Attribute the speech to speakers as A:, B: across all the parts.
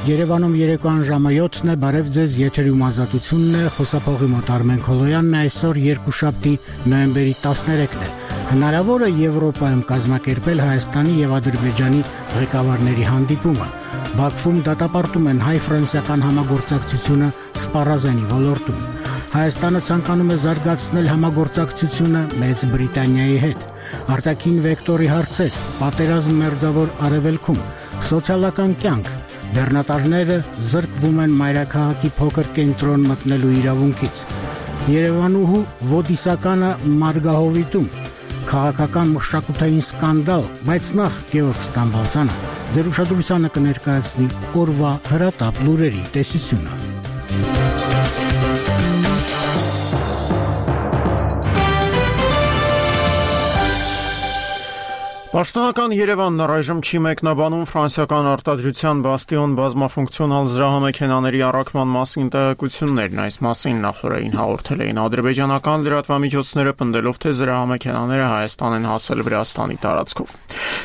A: Երևանում երեկոյան ժամը 7-ն է, բարև ձեզ, եթերում ազատությունն է, խոսափողի մոտ Արմեն Քոլոյանն է, այսօր երկուշաբթի նոյեմբերի 13-ն է։ Հնարավոր է Եվրոպայում կազմակերպել Հայաստանի եւ Ադրբեջանի ղեկավարների հանդիպումը։ Բաքվում դատապարտում են հայ-ֆրանսիական համագործակցությունը սպառազենի ոլորտում։ Հայաստանը ցանկանում է զարգացնել համագործակցությունը Մեծ Բրիտանիայի հետ։ Արտաքին վեկտորի հարցեր, պատերազմ մերձավոր արևելքում, սոցիալական կյանք, բեռնատարները զրկվում են մայրաքաղաքի փոքր կենտրոն մտնելու իրավունքից։ Երևանուհու Ոդիսականը Մարգահովիտում, քաղաքական մշակութային սկանդալ, բայց նախ Գեորգ Ստամբալցյանը ձեր ուշադրությանը կներկայացնի օրվա հրատապ լուրերի տեսությունը։
B: Պաշտոնական Երևանն առայժմ չի մեկնաբանում ֆրանսիական արտադրության Բաստիոն բազմաֆունկցիոնալ զրահամեքենաների առաքման մասին տեղեկություններն, այս մասին նախորդին հաղորդել էին ադրբեջանական լրատվամիջոցները, պնդելով, թե զրահամեքենաները Հայաստան են հասել Վրաստանի տարածքով։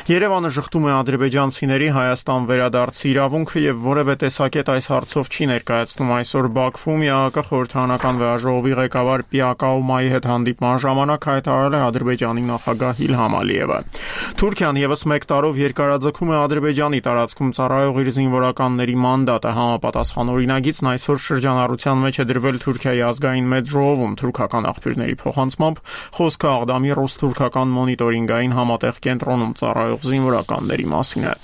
B: Երևանը շղթում է ադրբեջանցիների Հայաստան վերադարձի իրավունքը եւ որևէ տեսակետ այս հարցով չի ներկայացնում այսօր Բաքվում ՀԱԿ խորհրդարանական վեաժողովի ղեկավար Պիակաումայի հետ հանդիպման ժամանակ հայտարարել է Ադրբեջանի նախագահ Իլհամ Ալիևը։ Թուրքիան եւս մեկ տարով երկարաձգում է Ադրբեջանի տարածքում ծառայող իր զինվորականների մանդատը։ Համապատասխան օրինագիծն այսօր շրջանառության մեջ է դրվել Թուրքիայի ազգային մեծ ժողովում։ Թուրքական աղբյուրների փոխանցմամբ խոսքը Աղդամի ռուս-թուրքական մոնիտորինգային համատեղ կենտրոնում ծառայող զինվորականների մասին է։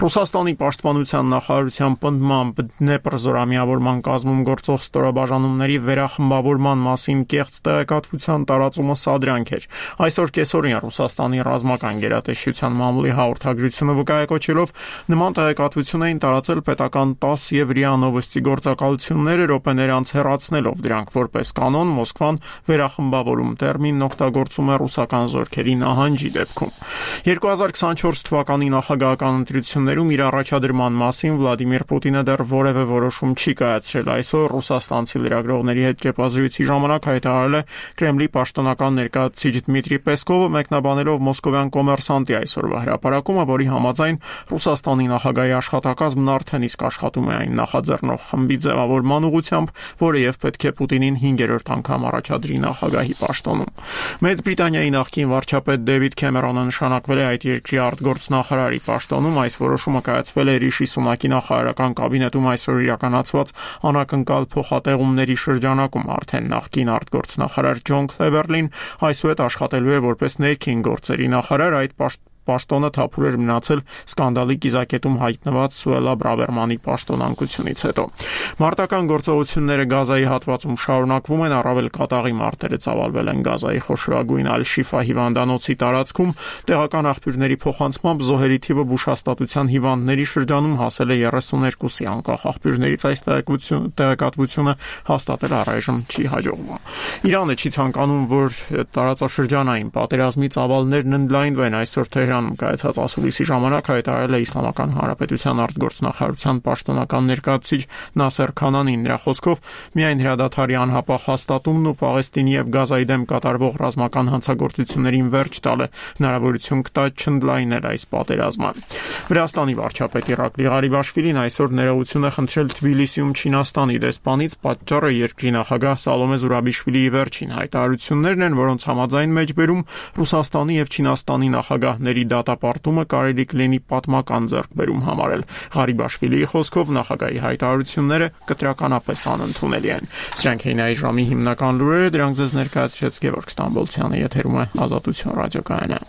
B: Ռուսաստանի պաշտպանության նախարարության պնդմամբ Դնեպր զորամիավորման կազմում գործող ստորաբաժանումների վերախմբավորման մասին կեղծ տեղեկատվության տարածումը սադրանք էր։ Այսօր կեսօրին Ռուսաստանի ռազմական գերատեսչության մամուլի հաղորդագրությունը վկայակոչելով նման տեղեկատվություն էին տարածել պետական 10 եւ ՌԻԱ Նովոստի գործակալությունները րոպեներ անց հեռացնելով դրանք որպես կանոն Մոսկվան վերախմբավորում տերմինն օգտագործում է ռուսական զորքերի նահանջի դեպքում։ 2024 թվականի նախագահական ընտրություններում իր առաջադրման մասին Վլադիմիր Պուտինը դեռ որևէ որոշում չի կայացրել։ Այսօր ռուսաստանցի լրագրողների հետ կեպազրույցի ժամանակ հայտարարել է Կրեմլի պաշտոնական ներկայացուցիչ Դմիտրի Պեսկովը, մեկնաբանելով մոսկովյան կոմերսանտի այսօրվա հրապարակումը, որի համաձայն Ռուսաստանի նախագահի աշխատակազմն արդեն իսկ աշխատում է այն նախաձեռնող խմբի ձևավորման ուղղությամբ, որը եւ պետք է Պուտինին 5-րդ անգամ առաջադրի նախագահի պաշտոնում։ Մեծ Բրիտանիայի նախկին վարչապետ Դեվիդ Քեմերոնը նշանակվել է այդ երկրի արտգործնախարարի պաշտոնում։ Այս որոշումը կայացվել է Ռիշի Սունակի նախարարական կաբինետում այսօր իրականացված անակնկալ փոխատեղումների շրջանակում։ Արդեն նախկին արտգործնախարար Ջոն Քլևերլին այսուհետ աշխատելու է որպես ներքին գործերի նախարար։ Այդ պաշտոնը թափուր էր մնացել սկանդալի կիզակետում հայտնված Սուելա Բրավերմանի պաշտոնանկությունից հետո։ Մարտական գործողությունները Գազայի հատվածում շարունակվում են, առավել կատաղի մարտերը ծավալվել են Գազայի խոշորագույն Ալ-Շիֆա հիվանդանոցի տարածքում։ Տեղական աղբյուրների փոխանցմամբ զոհերի թիվը բուժհաստատության հիվանդների շրջանում հասել է 32-ի, անկախ աղբյուրներից այս տեղեկատվությունը հաստատել առայժմ չի հաջողվում։ Իրանը չի ցանկանում, որ տարածաշրջանային պատերազմի ծավալներն ընդլայնվեն։ Այսօր Թեհրանում կայացած ասուլիսի ժամանակ հայտարարել է Իսլամական Հանրապետության արտգործնախարարության պաշտոնական ներկայացուցիչ Նասեր Քանանին։ Նրա խոսքով միայն հրադադարի անհապաղ հաստատումն ու Պաղեստինի եւ Գազայի դեմ կատարվող ռազմական հանցագործություններին վերջ տալը հնարավորություն կտա չընդլայնել այս պատերազմը։ Վրաստանի վարչապետ Իրակլի Ղարիբաշվիլին այսօր ներողություն է խնդրել Թբիլիսիում Չինաստանի դեսպանից։ Պատճառը երկրի նախագահ Սալոմե Զուրաբիշվիլիի վերջին հայտարարություններն են, որոնց համաձայն մեջբերում Ռուսաստանի եւ Չինաստանի նախագահների դատապարտումը կարելի կլինի պատմական ձեռքբերում համարել։ Ղարիբաշվիլիի խոսքով նախագահի հայտարարությունները կտրականապես անընդունելի են։ Սրանք էին այս ժամի հիմնական լուրերը, դրանք ձեզ ներկայացրեց Գեորգ Ստամբոլցյանը, եթերում է Ազատություն ռադիոկայանը։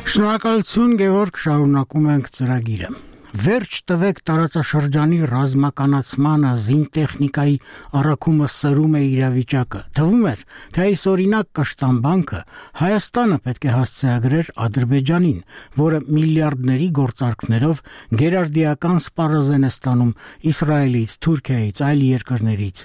A: Շնորհակալություն Գևորգ, շարունակում ենք ծրագիրը։ Վերջ տվեք տարածաշրջանի ռազմականացմանը, զինտեխնիկայի առաքումը սրում է իրավիճակը։ Թվում էր, թե այս օրինակ կշտամբանքը Հայաստանը պետք է հասցեագրեր Ադրբեջանին, որը միլիարդների գործարքներով գերարդիական սպառազեն է ստանում Իսրայելից, Թուրքիայից, այլ երկրներից։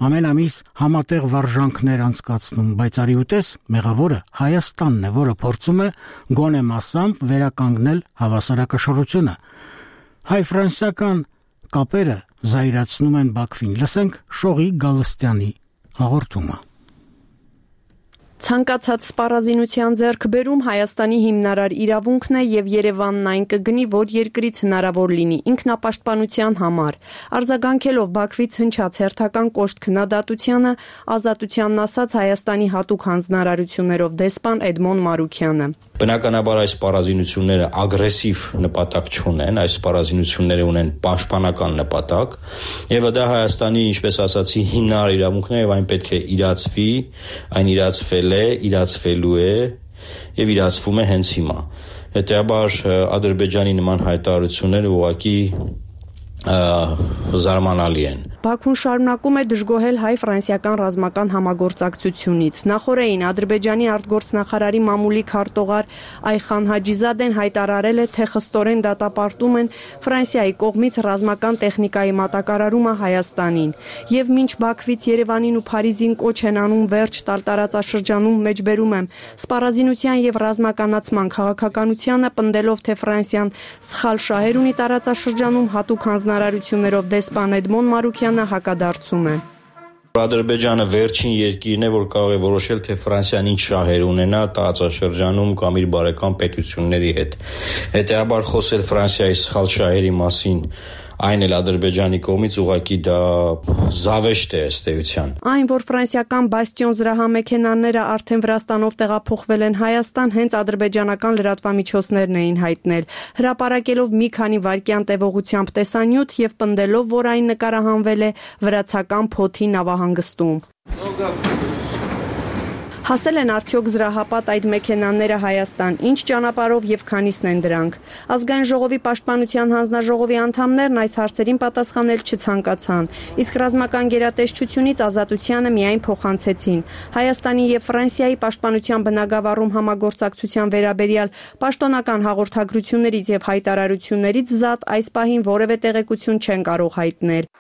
A: Ամեն ամիս համատեղ վարժանքներ անցկացնում, բայց արի ուտես մեղավորը Հայաստանն է, որը փորձում է գոնե մասամբ վերականգնել հավասարակշռությունը։ Հայ-ֆրանսիական կապերը զայրացնում են Բաքվին։ Լսենք Շողի Գալստյանի հաղորդումը։
C: Ցանկացած սպառազինության ձեռքբերում Հայաստանի հիմնարար իրավունքն է եւ Երևանն այն կգնի, որ երկրից հնարավոր լինի ինքնապաշտպանության համար։ Արձագանքելով Բաքվից հնչած հերթական կոշտ քննադատությանը, Ազատությանն ասաց Հայաստանի հատուկ հանձնարարություններով դեսպան Էդմոն Մարուքյանը։
D: Բնականաբար այս սպառազինությունները ագրեսիվ նպատակ չունեն, այս սպառազինությունները ունեն պաշտպանական նպատակ, եւ դա Հայաստանի, ինչպես ասացի, հիմնարար իրավունքն է եւ այն պետք է իրացվի, այն իրացվել է, իրացվելու է եւ իրացվում է հենց հիմա։ Հետեւաբար Ադրբեջանի նման հայտարարությունները ուղղակի զարմանալի են։
C: Բաքուն շարունակում է դժգոհել հայ-ֆրանսիական ռազմական համագործակցությունից։ Նախորդին Ադրբեջանի արտգործնախարարի մամուլի քարտուղար Այխան Հաջիզադեն հայտարարել է, թե խստորեն դատապարտում են Ֆրանսիայի կողմից ռազմական տեխնիկայի մատակարարումը Հայաստանին։ Եվ մինչ Բաքվից Երևանին ու Փարիզին կոչ են անում վերջ տալ տարածաշրջանում, մեջբերում եմ սպառազինության եւ ռազմականացման քաղաքականությանը, պնդելով, թե Ֆրանսիան սխալ շահեր ունի տարածաշրջանում, հատուկ հանձնարարություններով դեսպան Էդմոն Մարուքյանը հակադարձում է։
D: Ադրբեջանը վերջին երկիրն է, որ կարող է որոշել, թե Ֆրանսիան ինչ շահեր ունենա տարածաշրջանում կամ իր բարեկամ պետությունների հետ։ Հետեւաբար խոսել Ֆրանսիայի սխալ շահերի մասին, այն էլ Ադրբեջանի կողմից ուղղակի դա զավեշտ է ըստ էության։
C: Այն, որ ֆրանսիական Բաստիոն զրահամեքենաները արդեն Վրաստանով տեղափոխվել են Հայաստան, հենց ադրբեջանական լրատվամիջոցներն էին հայտնել, հրապարակելով մի քանի վայրկյան տևողությամբ տեսանյութ եւ պնդելով, որ այն նկարահանվել է վրացական Փոթի նավահանգստում։ Հասել են արդյոք զրահապատ այդ մեքենաները Հայաստան, ինչ ճանապարհով եւ քանիսն են դրանք։ Ազգային ժողովի պաշտպանության հանձնաժողովի անդամներն այս հարցերին պատասխանել չցանկացան, իսկ ռազմական գերատեսչությունից Ազատությանը միայն փոխանցեցին։ Հայաստանի եւ Ֆրանսիայի պաշտպանության բնագավառում համագործակցության վերաբերյալ պաշտոնական հաղորդագրություններից եւ հայտարարություններից զատ այս պահին որևէ տեղեկություն չեն կարող հայտնել։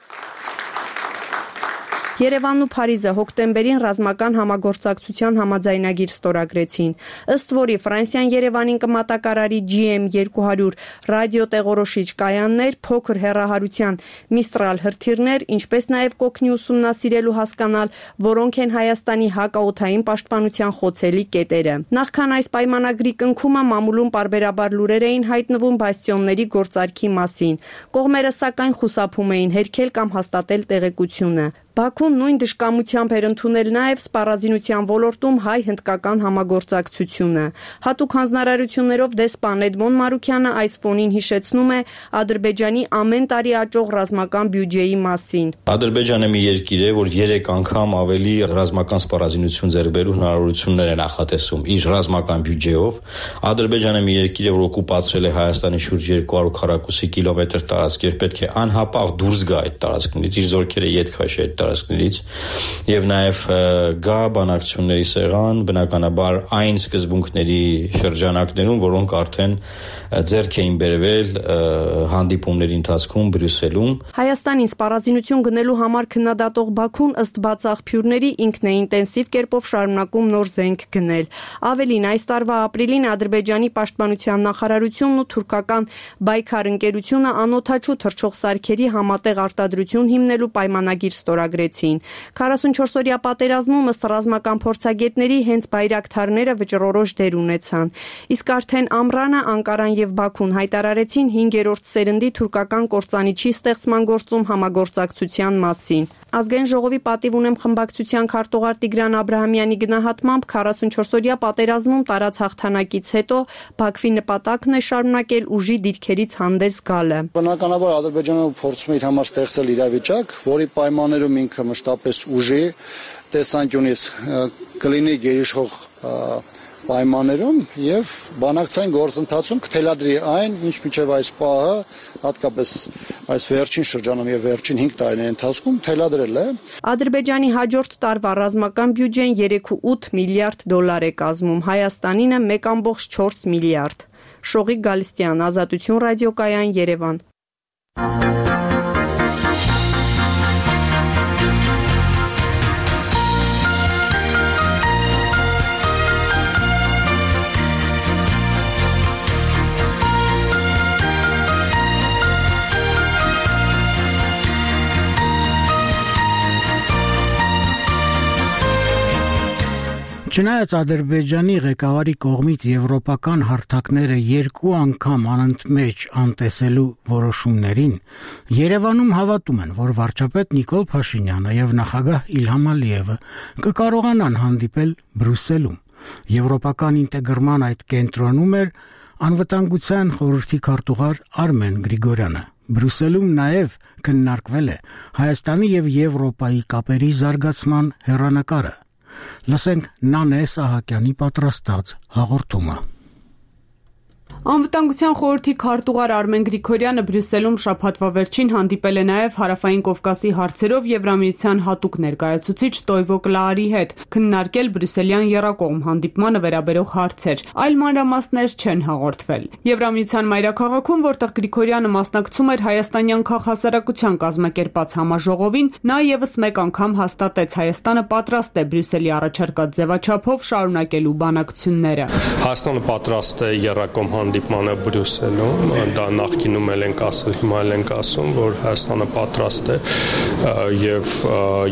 C: Երևանն ու Փարիզը հոկտեմբերին ռազմական համագործակցության համաձայնագիր ստորագրեցին, ըստ որի Ֆրանսիան Երևանին կմատակարարի GM200 ռադիոտեղորոշիչ կայաններ, փոքր հեռահարության Mistral հրթիռներ, ինչպես նաև կօգնի ուսումնասիրել ու հասկանալ, որոնք են Հայաստանի հակաօդային պաշտպանության խոցելի կետերը։ Նախքան այս պայմանագրի կնքումը մամուլում պարբերաբար լուրեր էին հայտնվում բաստիոնների գործարքի մասին։ Կողմերը սակայն խուսափում էին հերքել կամ հաստատել տեղեկությունը։ Բաքուն նույն դժկամությամբ էր ընդունել նաև սպառազինության ոլորտում հայ-հնդկական համագործակցությունը։ Հատուկ հանձնարարություններով դեսպան Էդմոն Մարուքյանը այս ֆոնին հիշեցնում է Ադրբեջանի ամեն տարի աճող ռազմական բյուջեի մասին։
D: Ադրբեջանը մի երկիր է, որ 3 անգամ ավելի ռազմական սպառազինություն ձեռք բերելու հնարավորություններ է նախատեսում իր ռազմական բյուջեով։ Ադրբեջանը մի երկիր է, որ օկուպացրել է Հայաստանի շուրջ 200 քառակուսի կիլոմետր տարածք եւ պետք է անհապաղ դուրս գա այդ տարածքներից, իր զորքերը ետ քաշի այդ տարածքներից եւ նաեւ գա բանակցությունների սեղան, բնականաբար այն սկզբունքների շրջանակներում, որոնք արդեն ձեռք էին բերվել հանդիպումների ընթացքում Բրյուսելում։
C: Հայաստանին սպառազինություն գնելու համար քննադատող Բաքուն ըստ բաց աղբյուրների ինքն է ինտենսիվ կերպով շարունակում նոր զենք գնել։ Ավելին, այս տարվա ապրիլին Ադրբեջանի պաշտպանության նախարարությունն ու թուրքական Բայքար ընկերությունը անօդաչու թռչող սարքերի համատեղ արտադրություն հիմնելու պայմանագիր ստորագրեցին։ 44-օրյա պատերազմում ըստ ռազմական փորձագետների հենց բայրակթարները վճռորոշ դեր ունեցան։ Իսկ արդեն Ամրանը, Անկարան եւ Բաքուն հայտարարեցին 5-րդ սերնդի թուրքական կործանիչի ստեղծման գործում համագործակցության մասին։ Ազգային ժողովի պատիվ ունեմ խմբակցության քարտուղար Տիգրան Աբրահամյանի գնահատմամբ 44-օրյա պատերազմում տարած հաղթանակից հետո Բաքվի նպատակն է շարունակել ուժի դիրքերից հանդես գալը։
E: Բնականաբար Ադրբեջանը փորձում է իր համար ստեղծել իրավիճակ, որի պայմաններում ինքը մշտապես ուժի տեսանկյունից կլինի գերիշխող պայմաններում եւ բանակցային գործընթացում կթելադրի այն, ինչ մինչեւ այս պահը, հատկապես այս վերջին շրջանում եւ վերջին 5 տարիների ընթացքում թելադրել է։
C: Ադրբեջանի հաջորդ տարվա ռազմական բյուջեն 3.8 միլիարդ դոլար է կազմում, Հայաստանինը 1.4 միլիարդ։ Շողիկ Գալստյան, Ազատություն ռադիոկայան, Երևան։
A: Չնայած Ադրբեջանի ղեկավարի կողմից եվրոպական հարթակները 2 անգամ անընդմեջ անտեսելու որոշումներին, Երևանում հավատում են, որ վարչապետ Նիկոլ Փաշինյանը եւ նախագահ Իլհամ Ալիևը կկարողանան հանդիպել Բրյուսելում։ Եվրոպական ինտեգրման այդ կենտրոնում էր անվտանգության խորհրդի քարտուղար Արմեն Գրիգորյանը։ Բրյուսելում նաև քննարկվել է Հայաստանի եւ Եվրոպայի կապերի զարգացման հեռանկարը։ Լսենք Նանե Սահակյանի պատրաստած հաղորդումը։
F: Անվտանգության խորհրդի քարտուղար Արմեն Գրիգորյանը Բրյուսելում շաբաթվա վերջին հանդիպել է նաև Հարավային Կովկասի հարցերով Եվրամիության հատուկ ներկայացուցիչ Տոյվո Կլաարի հետ, քննարկել Բրյուսելյան եռակողմ հանդիպմանը վերաբերող հարցեր, այլ մանրամասներ չեն հաղորդվել։ Եվրամիության մայրաքաղաքում, որտեղ Գրիգորյանը մասնակցում էր հայաստանյան քաղաքասարակության կազմակերպած համաժողովին, նա եւս մեկ անգամ հաստատեց Հայաստանը պատրաստ է Բրյուսելի առաջարկած ձևաչափով շարունակելու բանակցությունները։
G: Հայաստանը պատրաստ է եռակողմ հանդիպմանը Բրյուսելում, դա նախկինում ենք ասել, հիմա ենք ասում, որ Հայաստանը պատրաստ է եւ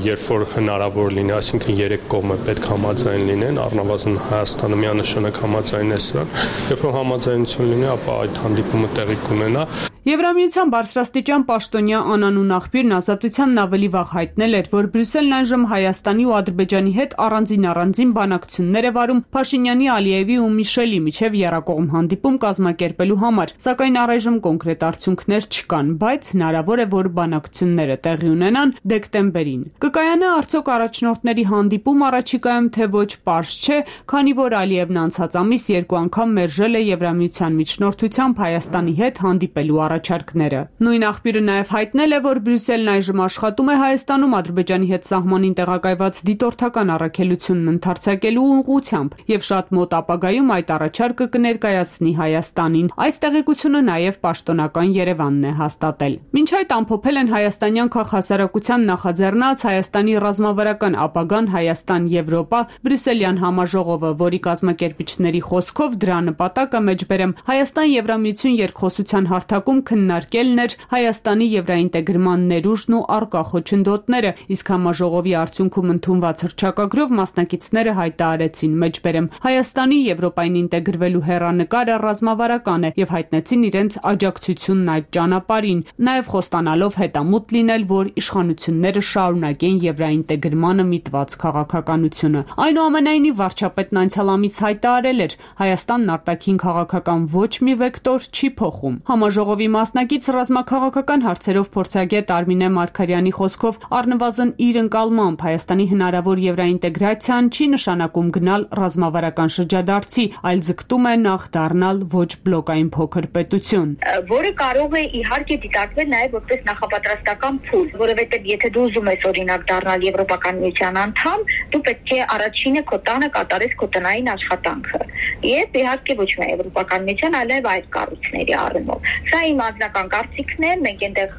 G: երբ որ հնարավոր լինի, այսինքն 3 կողմը պետք համաձայն լինեն, առնվազն Հայաստանը միանշանակ համաձայն է սրան, երբ որ համաձայնություն լինի, ապա այդ հանդիպումը տեղի կունենա։
F: Եվրամիության բարձրաստիճան պաշտոնյա անանուն աղբյուրն Ազատությանն ավելի վաղ հայտնել էր, որ Բրյուսելն այժմ Հայաստանի ու Ադրբեջանի հետ առանձին բանակցություններ է վարում Փաշինյանի, Ալիևի ու Միշելի միջև եռակողմ հանդիպում կազմակերպելու համար, սակայն առայժմ կոնկրետ արդյունքներ չկան, բայց հնարավոր է, որ բանակցությունները տեղի ունենան դեկտեմբերին։ Կկայանա արդյոք առաջնորդների հանդիպում առաջիկայում, թե ոչ, պարզ չէ, քանի որ Ալիևն անցած ամիս 2 անգամ մերժել է Եվրամիության միջնորդությամբ Հայաստանի հետ հանդիպելու առաջարկները։ Նույն աղբյուրը նաև հայտնել է, որ Բրյուսելն այժմ աշխատում է Հայաստանում Ադրբեջանի հետ սահմանին տեղակայված դիտորդական առաքելությունն ընդարձակելու ուղղությամբ եւ շատ մոտ ապագայում այդ առաջարկը կներկայացնի Հայաստանին։ Այս տեղեկությունը նաև պաշտոնական Երևանն է հաստատել։ Մինչ այդ ամփոփել են հայաստանյան քաղաքասարակության նախաձեռնած Հայաստանի ռազմավարական ապագան Հայաստան-Եվրոպա Բրյուսելյան համաժողովը, որի կազմակերպիչների խոսքով դրա նպատակը մեջբերեմ Հայաստան-Եվրամիություն երկխոսության հարթակում քննարկելն էր Հայաստանի եվրաինտեգրման ներուժն ու առկա խոչընդոտները, իսկ համաժողովի արդյունքում ընդունված հռչակագրով մասնակիցները հայտարարեցին մեջբերեմ Հայաստանի Եվրոպային ինտեգրվելու հեռանկարը ռազմավարական է եւ հայտնեցին իրենց աջակցությունն այդ ճանապարհին, նաեւ խոստանալով հետամուտ լինել, որ իշխանությունները շարունակեն եվրաինտեգրմանը միտված քաղաքականությունը։ Այնուամենայնիվ վարչապետն անցյալ ամիս հայտարարել էր Հայաստանն արտաքին քաղաքական ոչ մի վեկտոր չի փոխում։ Համաժողովի մասնակից ռազմաքաղաքական հարցերով փորձագետ Արմինե Մարգարյանի խոսքով առնվազն իր ընկալմամբ Հայաստանի հնարավոր եվրաինտեգրացիան չի նշանակում գնալ ռազմավարական շրջադարձի, այլ ձգտում է նախ դառնալ ոչ բլոկային փոքր պետություն,
H: որը կարող է իհարկե դիտարկվել նաև որպես նախապատրաստական փուլ, որովհետև եթե դու ուզում ես օրինակ դառնալ Եվրոպական միության անդամ, դու պետք է առաջինը քո տանը կատարես քո տնային աշխատանքը։ Եվ իհարկե ոչ միայն Եվրոպական միության, այլև այլ կառույցների առումով։ Սա իմ անձնական կարծիքն է, մենք այնտեղ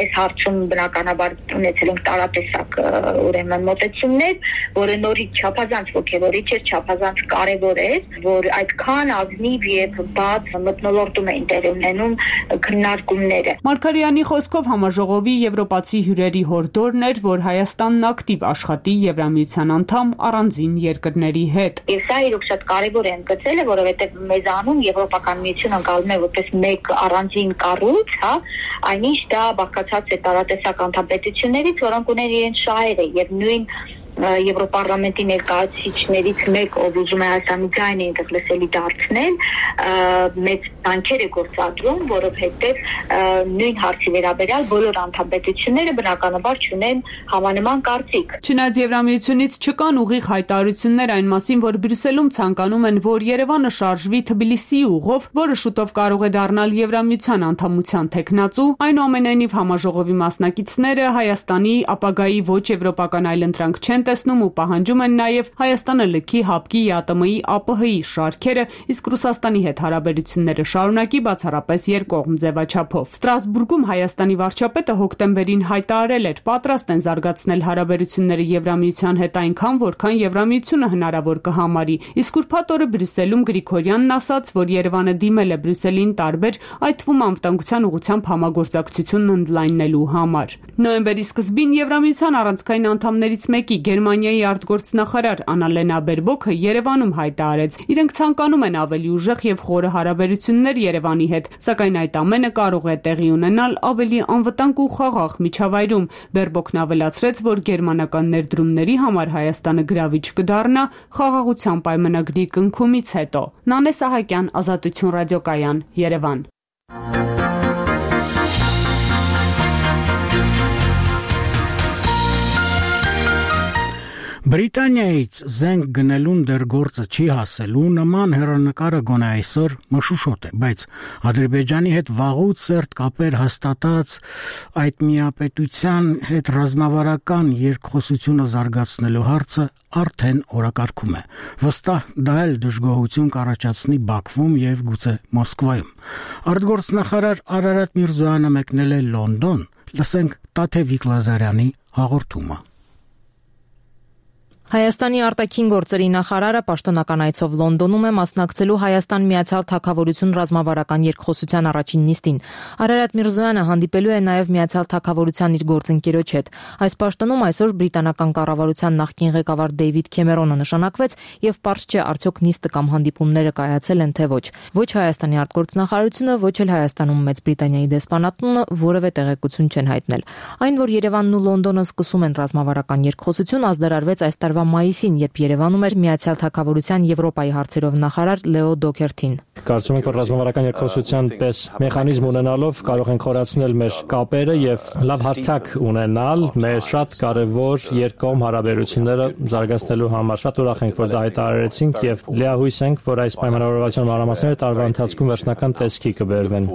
H: այս հարցում բնականաբար ունեցել ենք տարատեսակ ուրեմն մոտեցումներ, որը նորից չափազանց ոգևորիչ էր, չափազանց կարևոր էր, որ այդքան ազնիվ եւ բաց մթնոլորտում էին տեղի ունենում քննարկումները։
F: Մարգարյանի խոսքով համաժողովի եվրոպացի հյուրերի հորդորն էր, որ Հայաստանն ակտիվ աշխատի Եվրամիության անդամ առանձին երկրների հետ։
H: Եվ սա իրոք շատ կարևոր է ընդգծելը, որովհետեւ մեզանում Եվրոպական միությունը անցալում է որպես մեկ առանձին կառույց, հա, այնինչ դա բաղկացած է տարատեսակ անդամպետություններից, որոնք ունեն իրենց շահերը եւ նույն Եվրոպարլամենտի ներկայացուցիչներից մեկ, ով ուզում է Հայաստանի ձայնը այնտեղ լսելի դարձնել, մեծ ջանքեր է գործադրում, որովհետև նույն հարցի վերաբերյալ բոլոր անդամպետությունները բնականաբար չունեն համանման կարծիք։
F: Չնայած Եվրամիությունից չկան ուղիղ հայտարարություններ այն մասին, որ Բրյուսելում ցանկանում են, որ Երևանը շարժվի Թբիլիսիի ուղով, որը շուտով կարող է դառնալ Եվրամիության անդամության թեկնածու, այնուամենայնիվ համաժողովի մասնակիցները Հայաստանի ապագայի ոչ եվրոպական այլընտրանք չեն տեսնում ու պահանջում են նաև Հայաստանը լքի ՀԱՊԿ-ի, ԵԱՏՄ-ի, ԱՊՀ-ի շարքերը, իսկ Ռուսաստանի հետ հարաբերությունները շարունակի բացառապես երկկողմ ձևաչափով։ Ստրասբուրգում Հայաստանի վարչապետը հոկտեմբերին հայտարարել էր, պատրաստ են զարգացնել հարաբերությունները Եվրամիության հետ այնքան, որքան Եվրամիությունը հնարավոր կհամարի։ Իսկ ուրբաթ օրը Բրյուսելում Գրիգորյանն ասաց, որ Երևանը դիմել է Բրյուսելին տարբեր, այդ թվում անվտանգության ուղղությամբ համագործակցությունն ընդլայնելու համար։ Նոյեմբերի սկզբին Եվրամիության առանցքային անդամներից մեկի Գերմանիայի արտգործնախարար Աննալենա Բերբոքը Երևանում հայտարարեց, իրենք ցանկանում են ավելի ուժեղ եւ խորը հարաբերություններ Երևանի հետ, սակայն այդ ամենը կարող է տեղի ունենալ ավելի անվտանգ ու խաղաղ միջավայրում։ Բերբոքն ավելացրեց, որ գերմանական ներդրումների համար Հայաստանը գրավիչ կդառնա խաղաղության պայմանագրի կնքումից հետո։ Նանե Սահակյան, Ազատություն ռադիոկայան, Երևան։
A: Բրիտանիայից զենք գնելուն դեռ գործը չի հասելու, նման հեռանկարը գոնե այսօր մշուշոտ է, բայց Ադրբեջանի հետ վաղուց սերտ կապեր հաստատած այդ միապետության հետ ռազմավարական երկխոսությունը զարգացնելու հարցը արդեն օրակարգում է։ Վստահ դա էլ դժգոհություն կառաջացնի Բաքվում եւ գուցե Մոսկվայում։ Արտգործնախարար Արարատ Միրզոյանը մեկնել է Լոնդոն, լսենք Տաթևիկ Լազարյանի հաղորդումը։
I: Հայաստանի արտաքին գործերի նախարարը պաշտոնական այցով Լոնդոնում է մասնակցելու Հայաստան-Միացյալ Թագավորություն ռազմավարական երկխոսության առաջին նիստին։ Արարատ Միրզոյանը հանդիպելու է նաև Միացյալ Թագավորության իր գործընկերոջ հետ։ Այս պաշտոնում այսօր բրիտանական կառավարության նախկին ղեկավար Դեյվիդ Քեմերոնը նշանակվեց եւ պարզ չէ արդյոք նիստը կամ հանդիպումները կայացել են թե ոչ։ Ոչ Հայաստանի արտգործնախարարությունը, ոչ էլ Հայաստանում Մեծ Բրիտանիայի դեսպանատունը որևէ տեղեկություն չեն հայտնել։ Այն, որ Երևանն ու Լոնդոնը սկսում են ռազմավարական երկխոսություն, ազդարարվեց այս տարվա մայիսին, երբ Երևանում էր Միացյալ Թագավորության Եվրոպայի հարցերով նախարար Լեո Դոքերթին։
J: Կարծում ենք, որ ռազմավարական երկխոսության պես մեխանիզմ ունենալով կարող ենք խորացնել մեր կապերը եւ լավ հարթակ ունենալ մեր շատ կարեւոր երկկողմ հարաբերությունները զարգացնելու համար։ Շատ ուրախ ենք, որ դա հայտարարեցինք եւ լիահույս ենք, որ այս պայմանավորվածության մանրամասները տարվա ընթացքում վերջնական տեսքի կբերվեն։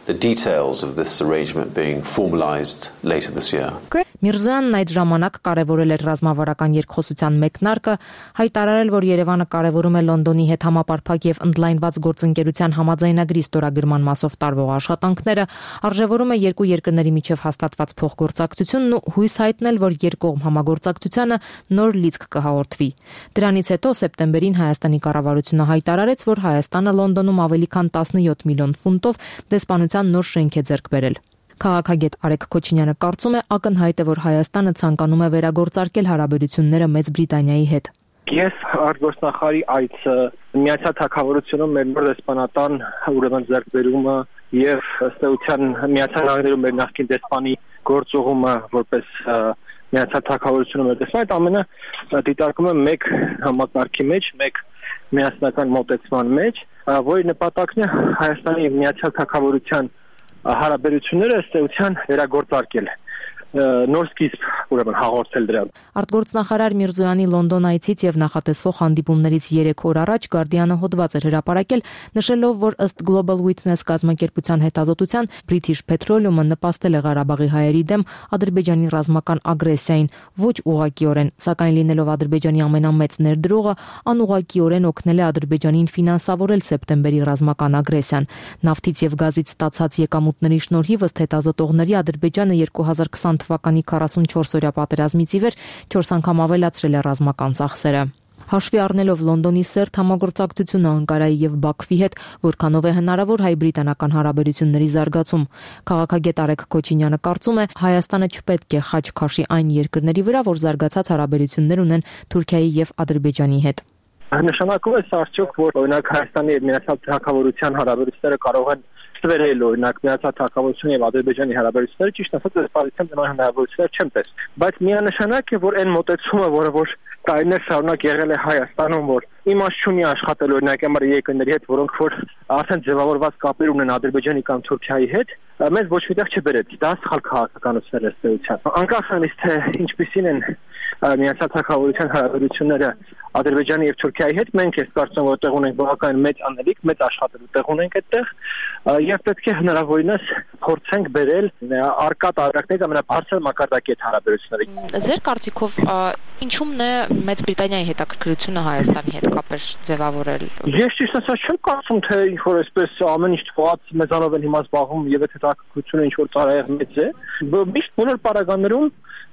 K: The details of this arrangement being formalized later this year.
I: Միրզոյանն այդ ժամանակ կարևորել էր ռազմավարական երկխոսության մեկնարկը, հայտարարել, որ Երևանը կարևորում է Լոնդոնի հետ համապարփակ եւ ընդլայնված գործընկերության համաձայնագրի ստորագրման մասով տարվող աշխատանքները, արժևորում է երկու երկրների միջև հաստատված փոխգործակցությունն ու հույս հայտնել, որ երկկողմ համագործակցությանը նոր լիցք կհաղորդվի։ Դրանից հետո սեպտեմբերին Հայաստանի կառավարությունը հայտարարեց, որ Հայաստանը Լոնդոնում ավելի քան 17 միլիոն ֆունտով դեսպանության նոր շենք է ձեռք բերել։ Քաղաքագետ Արեգ Քոչինյանը կարծում է, ակնհայտ է, որ Հայաստանը ցանկանում է վերագործարկել հարաբերությունները Մեծ Բրիտանիայի հետ։
L: Ես արտգործնախարարի այցը Միացյալ Թագավորությունում մեր նոր դեսպանատան ուրեմն ձեռքբերումը եւ ըստ էության Միացյալ Նահանգներում մեր նախկին դեսպանի գործողումը որպես Միացյալ Թագավորությունում մեր դեսպան, այդ ամենը դիտարկում է մեկ համակարգի մեջ, մեկ միասնական մոտեցման մեջ, որի նպատակն է Հայաստանի եւ Միացյալ Թագավորության հարաբերությունները ըստ էության վերագործարկել, նոր սկիզբ ուրեմն հաղորդել դրան։
I: Արտգործնախարար Միրզոյանի Լոնդոն այցից եւ նախատեսվող հանդիպումներից 3 օր առաջ Guardian-ը հոդված էր հրապարակել, նշելով, որ ըստ Global Witness կազմակերպության հետազոտության British Petroleum-ը նպաստել է Ղարաբաղի հայերի դեմ Ադրբեջանի ռազմական ագրեսիային, ոչ ուղղակիորեն, սակայն լինելով Ադրբեջանի ամենամեծ ներդրողը, անուղղակիորեն օգնել է Ադրբեջանին ֆինանսավորել սեպտեմբերի ռազմական ագրեսիան։ Նավթից եւ գազից ստացած եկամուտների շնորհիվ ըստ հետազոտողների Ադրբեջանը 2020 թվականի 44-օրյա պատերազմից ի վեր 4 անգամ ավելացրել է ռազմական ծախսերը։ Հաշվի առնելով Լոնդոնի սերտ համագործակցությունը Անկարայի եւ Բաքվի հետ, որքանով է հնարավոր հայ-բրիտանական հարաբերությունների զարգացում, քաղաքագետ Արեգ Քոչինյանը կարծում է, Հայաստանը չպետք է խաչ քաշի այն երկրների վրա, որ զարգացած հարաբերություններ ունեն Թուրքիայի եւ Ադրբեջանի հետ։
L: Նշանակում է արդյոք, որ օրինակ Հայաստանի եւ Միացյալ Թագավորության հարաբերությունները կարող են ստվերել օրինակ Միացյալ Թագավորության եւ Ադրբեջանի հարաբերությունները, ճիշտ ասած, այս պարիսան նման հնարավորություններ չեմ տեսել։ Բայց միանշանակ է, որ այն մոտեցումը, որը որ տարիներ շարունակ եղել է Հայաստանում, որ իմաստ չունի աշխատել օրինակ համար երկրների հետ, որոնք որ արդեն ձևավորված կապեր ունեն Ադրբեջանի կամ Թուրքիայի հետ, մեզ ոչ միտեղ չբերեց։ Դա սխալ քաղաքականություն է ըստեյության։ Անկախ նրանից թե ինչպիսին են Միացյալ Թագավորության հարաբերությունները Ադրբեջանի եւ Թուրքիայի հետ, մենք ես կարծում եմ, որ տեղ ունենք բավական մեծ անելիք, մեծ աշխատելու տեղ ունենք այդտեղ, եւ պետք է հնարավորինս փորձենք բերել արկա տարբերակներից ամենաբարձր մակարդակի այդ հարաբերությունները։
I: Ձեր կարծիքով ինչու՞մն է Մեծ Բրիտանիայի հետաքրքրությունը Հայաստանի հետ կապեր ձևավորել։
L: Ես ճիշտ ասած չեմ կարծում, թե ինչ-որ այսպես ամեն ինչ թողած մեզանով են հիմա զբաղվում եւ այդ հետաքրքրությունը ինչ-որ ծառայեղ մեծ է։ Միշտ բոլոր պարագաներում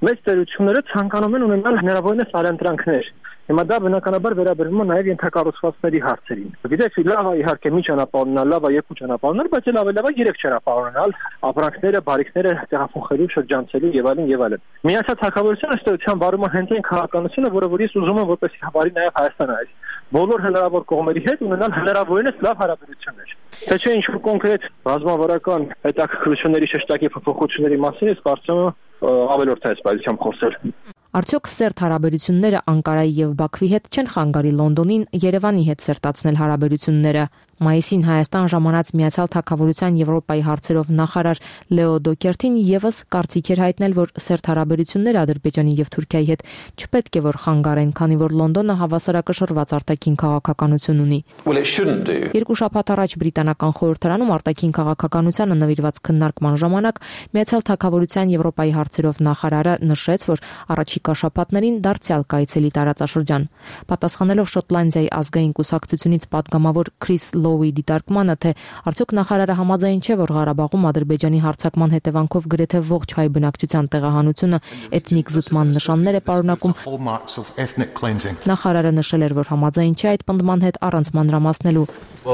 L: մեծ տերությունները ցանկանում են ունենալ հնարավորինս արենտրանքներ։ Հիմա դա բնականաբար վերաբերվում է նաև ենթակառուցվածքների հարցերին։ Գիտեք, լավ է իհարկե մի ճանապարհ ունենալ, լավ է երկու ճանապարհ ունենալ, բայց էլ ավելի լավ է երեք ճանապարհ ունենալ, ապրանքները, բարիկները տեղափոխելու, շրջանցելու եւ այլն եւ այլն։ Միացյալ Թագավորությունը ըստեյության վարում է հենց այն քաղաքականությունը, որը որ ես ուզում եմ որպես հավարի նաև Հայաստանը այս բոլոր հնարավոր կողմերի հետ ունենալ հնարավորինս լավ հարաբերություններ։ Թե չէ ինչ-որ կոնկրետ ռազմավարական հետաքրքրությունների շեշտակի փոփոխությունների մասին ես կարծում եմ ավելորդ է այս պայծությամբ խոսել։
I: Արդյոք սերտ հարաբերությունները Անկարայի եւ Բաքվի հետ չեն խանգարի Լոնդոնին Երևանի հետ սերտացնել հարաբերությունները։ Մայիսին Հայաստան ժամանած Միացյալ Թագավորության Եվրոպայի հարցերով նախարար Լեո Դոկերտին եւս կարծիք էր հայտնել, որ սերտ հարաբերությունները Ադրբեջանի եւ Թուրքիայի հետ չպետք է որ խանգարեն, քանի որ Լոնդոնը հավասարակշռված արտաքին քաղաքականություն ունի։ Երկու շաբաթ առաջ բրիտանական խորհրդարանում արտաքին քաղաքականությանը նվիրված քննարկման ժամանակ Միացյալ Թագավորության Եվրոպայի հարցերով նախարարը նշեց, որ առաջիկա շաբաթներին դարձյալ կայցելի տարածաշրջան։ Պատասխանելով Շոտլանդիայի ազգային կուսակցությունից падգամավոր Քրիս Լոուի դիտարկմանը, թե արդյոք նախարարը համաձայն չէ, որ Ղարաբաղում Ադրբեջանի հարձակման հետևանքով գրեթե ողջ հայ բնակչության տեղահանությունը էթնիկ զտման նշաններ է պարունակում, նախարարը նշել էր, որ համաձայն չէ այդ պնդման հետ առանց մանրամասնելու։ Նա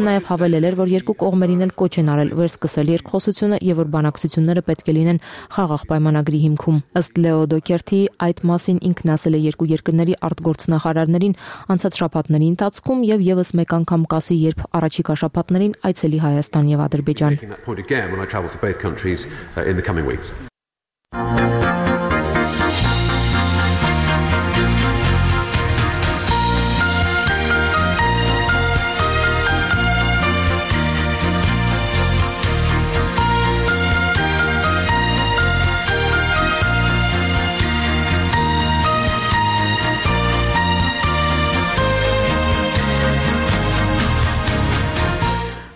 I: նաև հավելել էր, որ երկու կողմերին էլ կոչ են արել վերսկսել երկխոսությունը եւ որ բանակցությունները պետք է լինեն խաղաղ պայմանագրի հիմքում։ Ըստ Լեո Դոկերտի, այդ մասին ինքն ասել է երկու երկրների արտգործնախարարներին անցած շաբաթների ընթացքում եւ եւս մեկ անգամ կասի, երբ առաջիկա շաբաթներին այցելի Հայաստան եւ Ադրբեջան։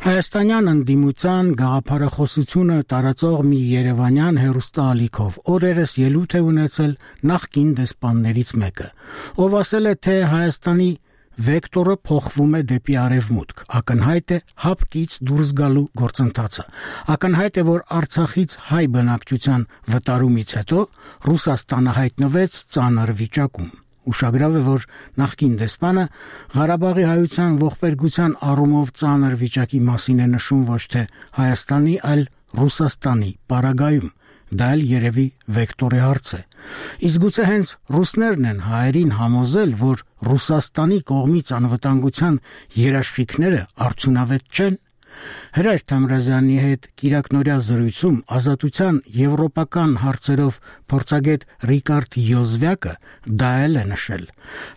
A: Հայաստանյան ընդդիմության գաղափարախոսությունը տարածող մի երևանյան հեռուստաալիքով օրերս ելույթ է ունեցել նախկին դեսպաններից մեկը, ով ասել է, թե Հայաստանի վեկտորը փոխվում է դեպի արևմուտք, ակնհայտ է հապկից դուրս գալու գործընթացը, ակնհայտ է, որ Արցախից հայ բնակչության վտարումից հետո Ռուսաստանը հայտնվեց ծանր վիճակում։ Ուշագրավ է, որ նախկին դեսպանը Ղարաբաղի հայության ողբերգության առումով ծանր վիճակի մասին է նշում ոչ թե Հայաստանի, այլ Ռուսաստանի պարագայում։ Դա էլ երևի վեկտորի հարց է։ Իսկ գուցե հենց ռուսներն են հայերին համոզել, որ Ռուսաստանի կողմից անվտանգության երաշխիքները արդյունավետ չեն։ Հրայր Թամրազյանի հետ Կիրակնորյա զրույցում Ազատության եվրոպական հարցերով փորձագետ Ռիկարդ Յոզվյակը դա էլ է նշել։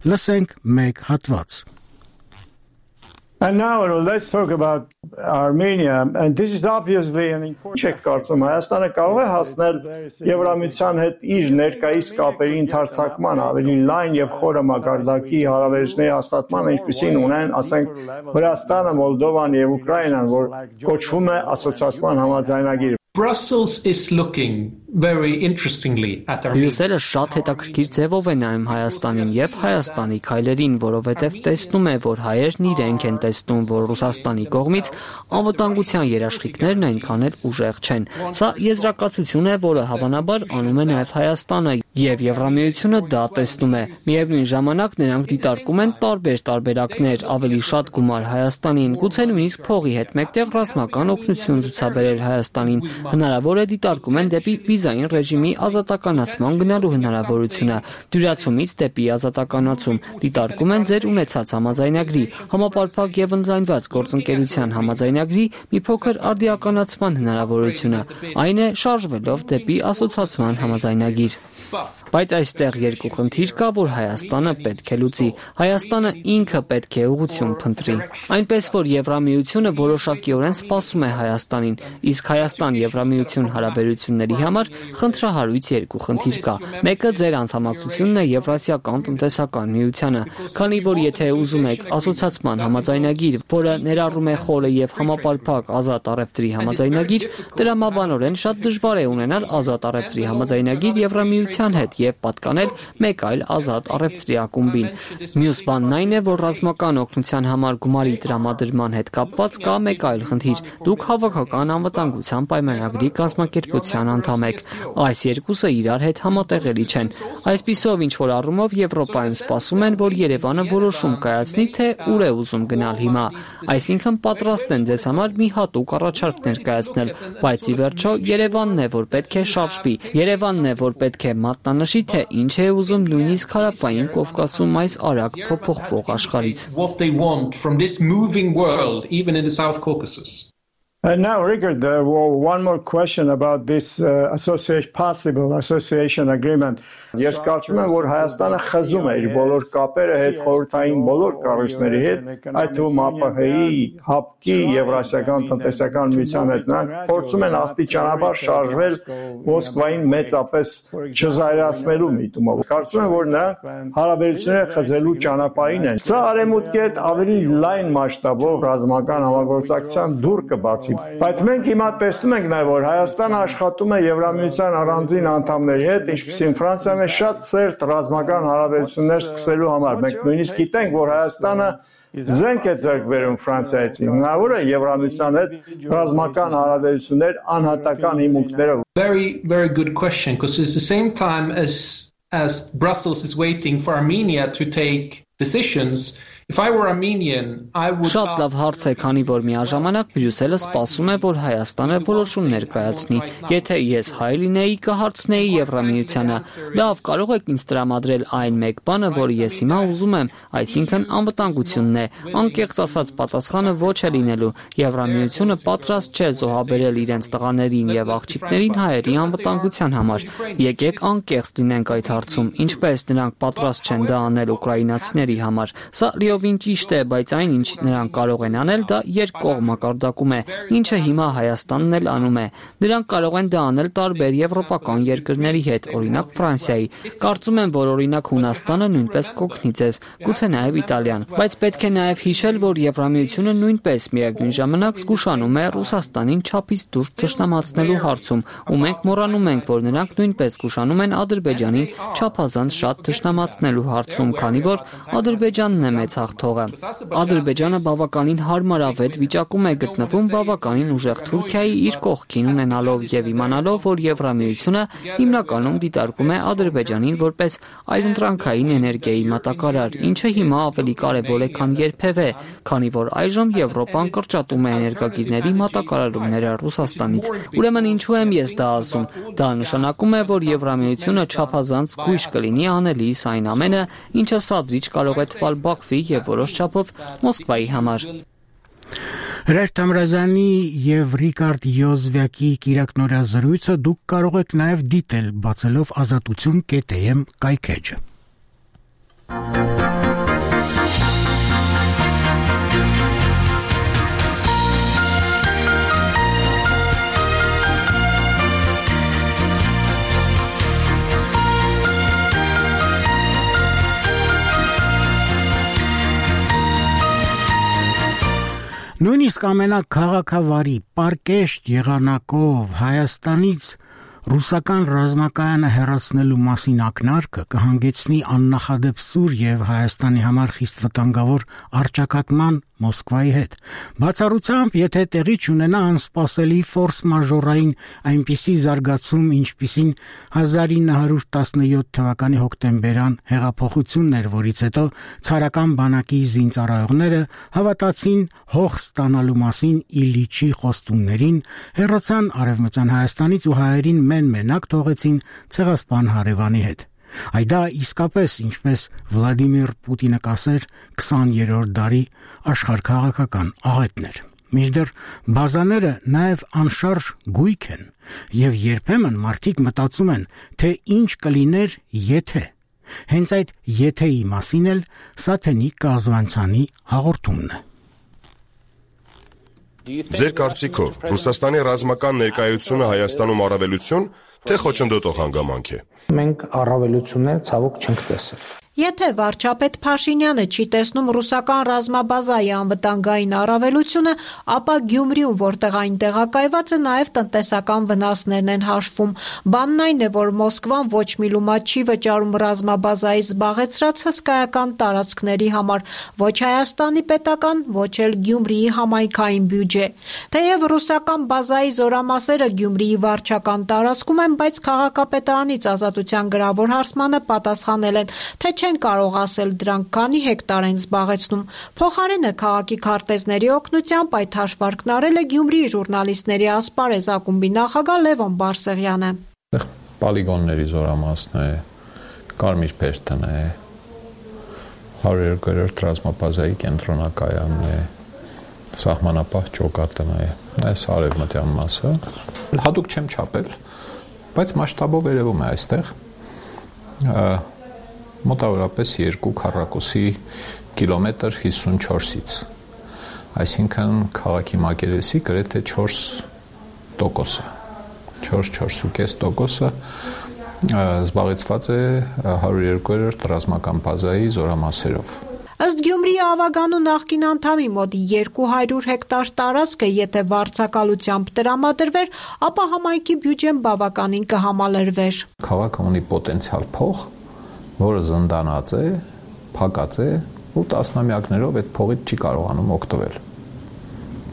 A: Լսենք մեկ հատված։
M: And now let's talk about Armenia, and this is obviously an important check կարծում Հայաստանը կարող է հասնել Եվրամիության հետ իր ներկայիս կապերի ընդարձակման ավելի լայն եւ խորը մակարդակի հարաբերությունների հաստատման, ինչպիսին ունեն, ասենք, Վրաստանը, Մոլդովան եւ Ուկրաինան, որ կոչվում է ասոցիացիան համաձայնագիր։
N: Brussels is looking very interestingly at Armenia.
O: Բրյուսելը շատ հետաքրքիր ձևով է նայում Հայաստանին եւ Հայաստանի քայլերին, որովհետեւ տեսնում է, որ հայերն իրենք են տեսնում, որ Ռուսաստանի կողմից անվտանգության երաշխիքներն այնքան էլ ուժեղ չեն։ Սա եզրակացություն է, որը հավանաբար անում է նաեւ Հայաստանը եւ Եվրամիությունը դա տեսնում է։ Միևնույն ժամանակ նրանք դիտարկում են տարբեր տարբերակներ, ավելի շատ գումար Հայաստանին, գուցե նույնիսկ փողի հետ մեկտեղ ռազմական օգնություն ցուցաբերել Հայաստանին։ Հնարավոր է դիտարկում են դեպի վիզային ռեժիմի ազատականացման գնալու հնարավորությունը, դյուրացումից դեպի ազատականացում, դիտարկում են ձեր ունեցած համաձայնագրի, համապարփակ եւ ընդլայնված գործընկերության համաձայնագրի մի փոքր արդիականացման հնարավորությունը, այն է շարժվելով դեպի ասոցիացիան համաձայնագիր։ Բայց այստեղ երկու խնդիր կա, որ Հայաստանը պետք է լուծի։ Հայաստանը ինքը պետք է ուղղություն փնտրի։ Այնպես որ Եվրամիությունը որոշակիորեն սպասում է Հայաստանին, իսկ Հայաստան-Եվրամիություն հարաբերությունների համար խնդրահարույց երկու խնդիր կա։ Մեկը ձեր անդամակցությունն է Եվրասիական տնտեսական միությանը, քանի որ եթե ուզում եք ասոցիացման համաձայնագիր, որը ներառում է խորը եւ համապարփակ ազատ առևտրի համաձայնագիր, դրամաբանորեն շատ դժվար է ունենալ ազատ առևտրի համաձայնագիր Եվրամիության հետ եւ պատկանել մեկ այլ ազատ առևտրի ակումբին։ Մյուս բանն այն է, որ ռազմական օգնության համար գումարի տրամադրման հետ կապված կա մեկ այլ խնդիր։ Դուք հավաքական անվտանգության պայմանագրի կազմակերպության անդամ եք։ Այս երկուսը իրար հետ համատեղելի չեն։ Այսպիսով ինչ որ առումով Եվրոպայում սպասում են, որ Երևանը որոշում կայացնի, թե ուր է ուզում գնալ հիմա։ Այսինքն պատրաստ են ձեզ համար մի հատուկ առաջարկ ներկայացնել, բայց ի վերջո Երևանն է, որ պետք է շարժվի։ Երևանն է, որ պետք է մատնանշի, թե ինչ է ուզում նույնիսկ հարավային Կովկասում այս արագ փոփոխվող աշխարհից։
M: And now, Richard, one more question about this possible association agreement. Ես կարծում եմ, որ Հայաստանը խզում է իր բոլոր կապերը հետ խորհրդային բոլոր կառույցների հետ, այդ թվում ԱՊՀ-ի, ՀԱՊԿ-ի, Եվրասիական տնտեսական միության հետ, նրանք փորձում են աստիճանաբար շարժվել Մոսկվային մեծապես չզայրացնելու միտումով։ Կարծում եմ, որ նրանք հարաբերությունները խզելու ճանապարհին են։ Սա արևմուտքի հետ ավելի լայն մասշտաբով ռազմական համագործակցության դուռ կբացի։ Բայց մենք հիմա տեսնում ենք նաև, որ Հայաստանը աշխատում է Եվրամիության առանձին անդամների հետ, ինչպիսին Ֆրանսիան է շատ սերտ ռազմական հարաբերություններ սկսելու համար։ Մենք նույնիսկ գիտենք, որ Հայաստանը զենք է ձեռք բերում Ֆրանսիայից։ Հնարավոր է Եվրամիության հետ ռազմական հարաբերություններ անհատական հիմունքներով։
N: Very good question, because it's the same time as Brussels is waiting for Armenia to take decisions. If I were Armenian, I would
O: Շատ լավ հարց է, քանի որ միաժամանակ Բրյուսելը սպասում է, որ Հայաստանը որոշում ներկայացնի։ Եթե ես հայ լինեի, կհարցնեի Եվրամիությանը. լավ, կարող եք ինձ տրամադրել այն մեկ բանը, որը ես հիմա ուզում եմ, այսինքն անվտանգությունն է։ Անկեղծ ասած, պատասխանը ոչ է լինելու։ Եվրամիությունը պատրաստ չէ զոհաբերել իրենց տղաներին եւ աղջիկներին հայերի անվտանգության համար։ Եկեք անկեղծ լինենք այդ հարցում, ինչպես նրանք պատրաստ չեն դա անել ուկրաինացիների համար։ Սա լիովին ճիշտ է, բայց այն ինչ նրանք կարող են անել, դա երկկողմ մակարդակում է, ինչը հիմա Հայաստանն էլ անում է։ Նրանք կարող են դա անել տարբեր եվրոպական երկրների հետ, օրինակ Ֆրանսիայի։ Կարծում եմ, որ օրինակ Հունաստանը նույնպես կօգնի ձեզ, գուցե նաև Իտալիան։ Բայց պետք է նաև հիշել, որ Եվրամիությունը նույնպես միևնույն ժամանակ զգուշանում է Ռուսաստանին չափից դուրս թշնամացնելու հարցում, ու մենք մոռանում ենք, որ նրանք նույնպես զգուշանում են Ադրբեջանին չափազանց շատ թշնամացնելու հարցում, քանի որ Ադրբեջանն է մեծ հաղթողը։ Ադրբեջանը բավականին հարմարավետ վիճակում է գտնվում բավականին ուժեղ Թուրքիայի իր կողքին ունենալով եւ իմանալով, որ Եվրամիությունը հիմնականում դիտարկում է Ադրբեջանին որպես այլընտրանքային էներգիայի մատակարար, ինչը հիմա ավելի կարեւոր է, քան երբևէ, քանի որ այժմ Եվրոպան կրճատում է էներգագիրների մատակարարումները Ռուսաստանից։ Ուրեմն ինչու եմ ես դա ասում։ Դա նշանակում է, որ Եվրամիությունը չափազանց զգույշ կլինի անելիս այն ամենը, ինչը սադրիչ կարող է թվալ Բաքվի եւ որոշ չափով Մոսկվայի համար։
A: Հրաշք Թամրազյանի եւ Ռիկարդ Յոզվյակի կիրակնորյա զրույցը դուք կարող եք նաեւ դիտել բացելով azatutun.am կայքեջը։ Նույնիսկ ամենաքաղաքավարի պարկեշտ եղանակով Հայաստանից ռուսական ռազմակայանը հեռացնելու մասին ակնարկը կհանգեցնի աննախադեպ սուր եւ Հայաստանի համար խիստ վտանգավոր առճակատման Մոսկվայի հետ։ Բացառությամբ, եթե տեղի չունենա անսպասելի ֆորս մաժորային այնպիսի զարգացում, ինչպիսին 1917 թվականի հոկտեմբերյան հեղափոխությունն էր, որից հետո ցարական բանակի զինծառայողները հավատացին հող ստանալու մասին Իլիչի խոստումներին, հեռացան Արևմտյան Հայաստանից ու հայերին մենակ թողեցին ցեղասպան հարևանի հետ։ Այդա իսկապես, ինչպես Վլադիմիր Պուտինը կասեր, 20-րդ դարի աշխարհքաղաքական աղետներ։ Մինչդեռ բազաները նաև անշարժ գույք են։ Եվ երբեմն մարդիկ մտածում են, թե ինչ կլիներ, եթե։ Հենց այդ եթեի մասին էլ Սաթենիկ Կազվանցյանի հաղորդումն է։
P: Ձեր կարծիքով Ռուսաստանի ռազմական ներկայությունը Հայաստանում առավելություն, թե խոչընդոտող հանգամանք է։
Q: Մենք առավելություններ ցավոք չենք տեսել։
R: Եթե վարչապետ Փաշինյանը չի տեսնում ռուսական ռազմաբազայի անվտանգային առավելությունը, ապա Գյումրիում, որտեղ այն տեղակայված է, նաև տնտեսական վնասներն են հաշվում։ Բանն այն է, որ Մոսկվան ոչ մի լումա չի վճարում ռազմաբազայի զբաղեցրած հսկայական տարածքների համար, ոչ Հայաստանի պետական, ոչ էլ Գյումրիի համայնքային բյուջե։ Թեև ռուսական բազայի զորամասերը Գյումրիի վարչական տարածքում են, բայց քաղաքապետարանից Ազատության գրավոր հարցմանը պատասխանել են, թե չեն կարող ասել դրանք քանի հեկտար են զբաղեցնում։ Փոխարենը քաղաքի քարտեզների օգնությամբ այդ հաշվարկն արել է Գյումրիի ժուրնալիստների ասպարեզ ակումբի նախագահ Լևոն Բարսեղյանը։
S: Պոլիգոնների զորամասն է, Կարմիր Փերթն է, 102-րդ ռազմաբազայի կենտրոնակայանն է, սահմանապահ ճոկատն է, այս արևմտյան մասը։ Հատուկ չեմ չափել, բայց մասշտաբով երևում է այստեղ մոտավորապես 2 քառակուսի կիլոմետր 54-ից, այսինքն քաղաքի մակերեսի գրեթե 4%-ը, 4-4.5%-ը զբաղեցված է 102-րդ ռազմական բազայի զորամասերով։
R: Ըստ Գյումրիի Ավագանու նախկին անդամի մոտ 200 հեկտար տարածքը, եթե վարձակալությամբ տրամադրվեր, ապա համայնքի բյուջեն բավականին կհամալրվեր։
S: Քաղաքը ունի պոտենցիալ փող, որը զնդանած է, փակած է ու տասնամյակներով այդ փողից չի կարողանում օգտվել։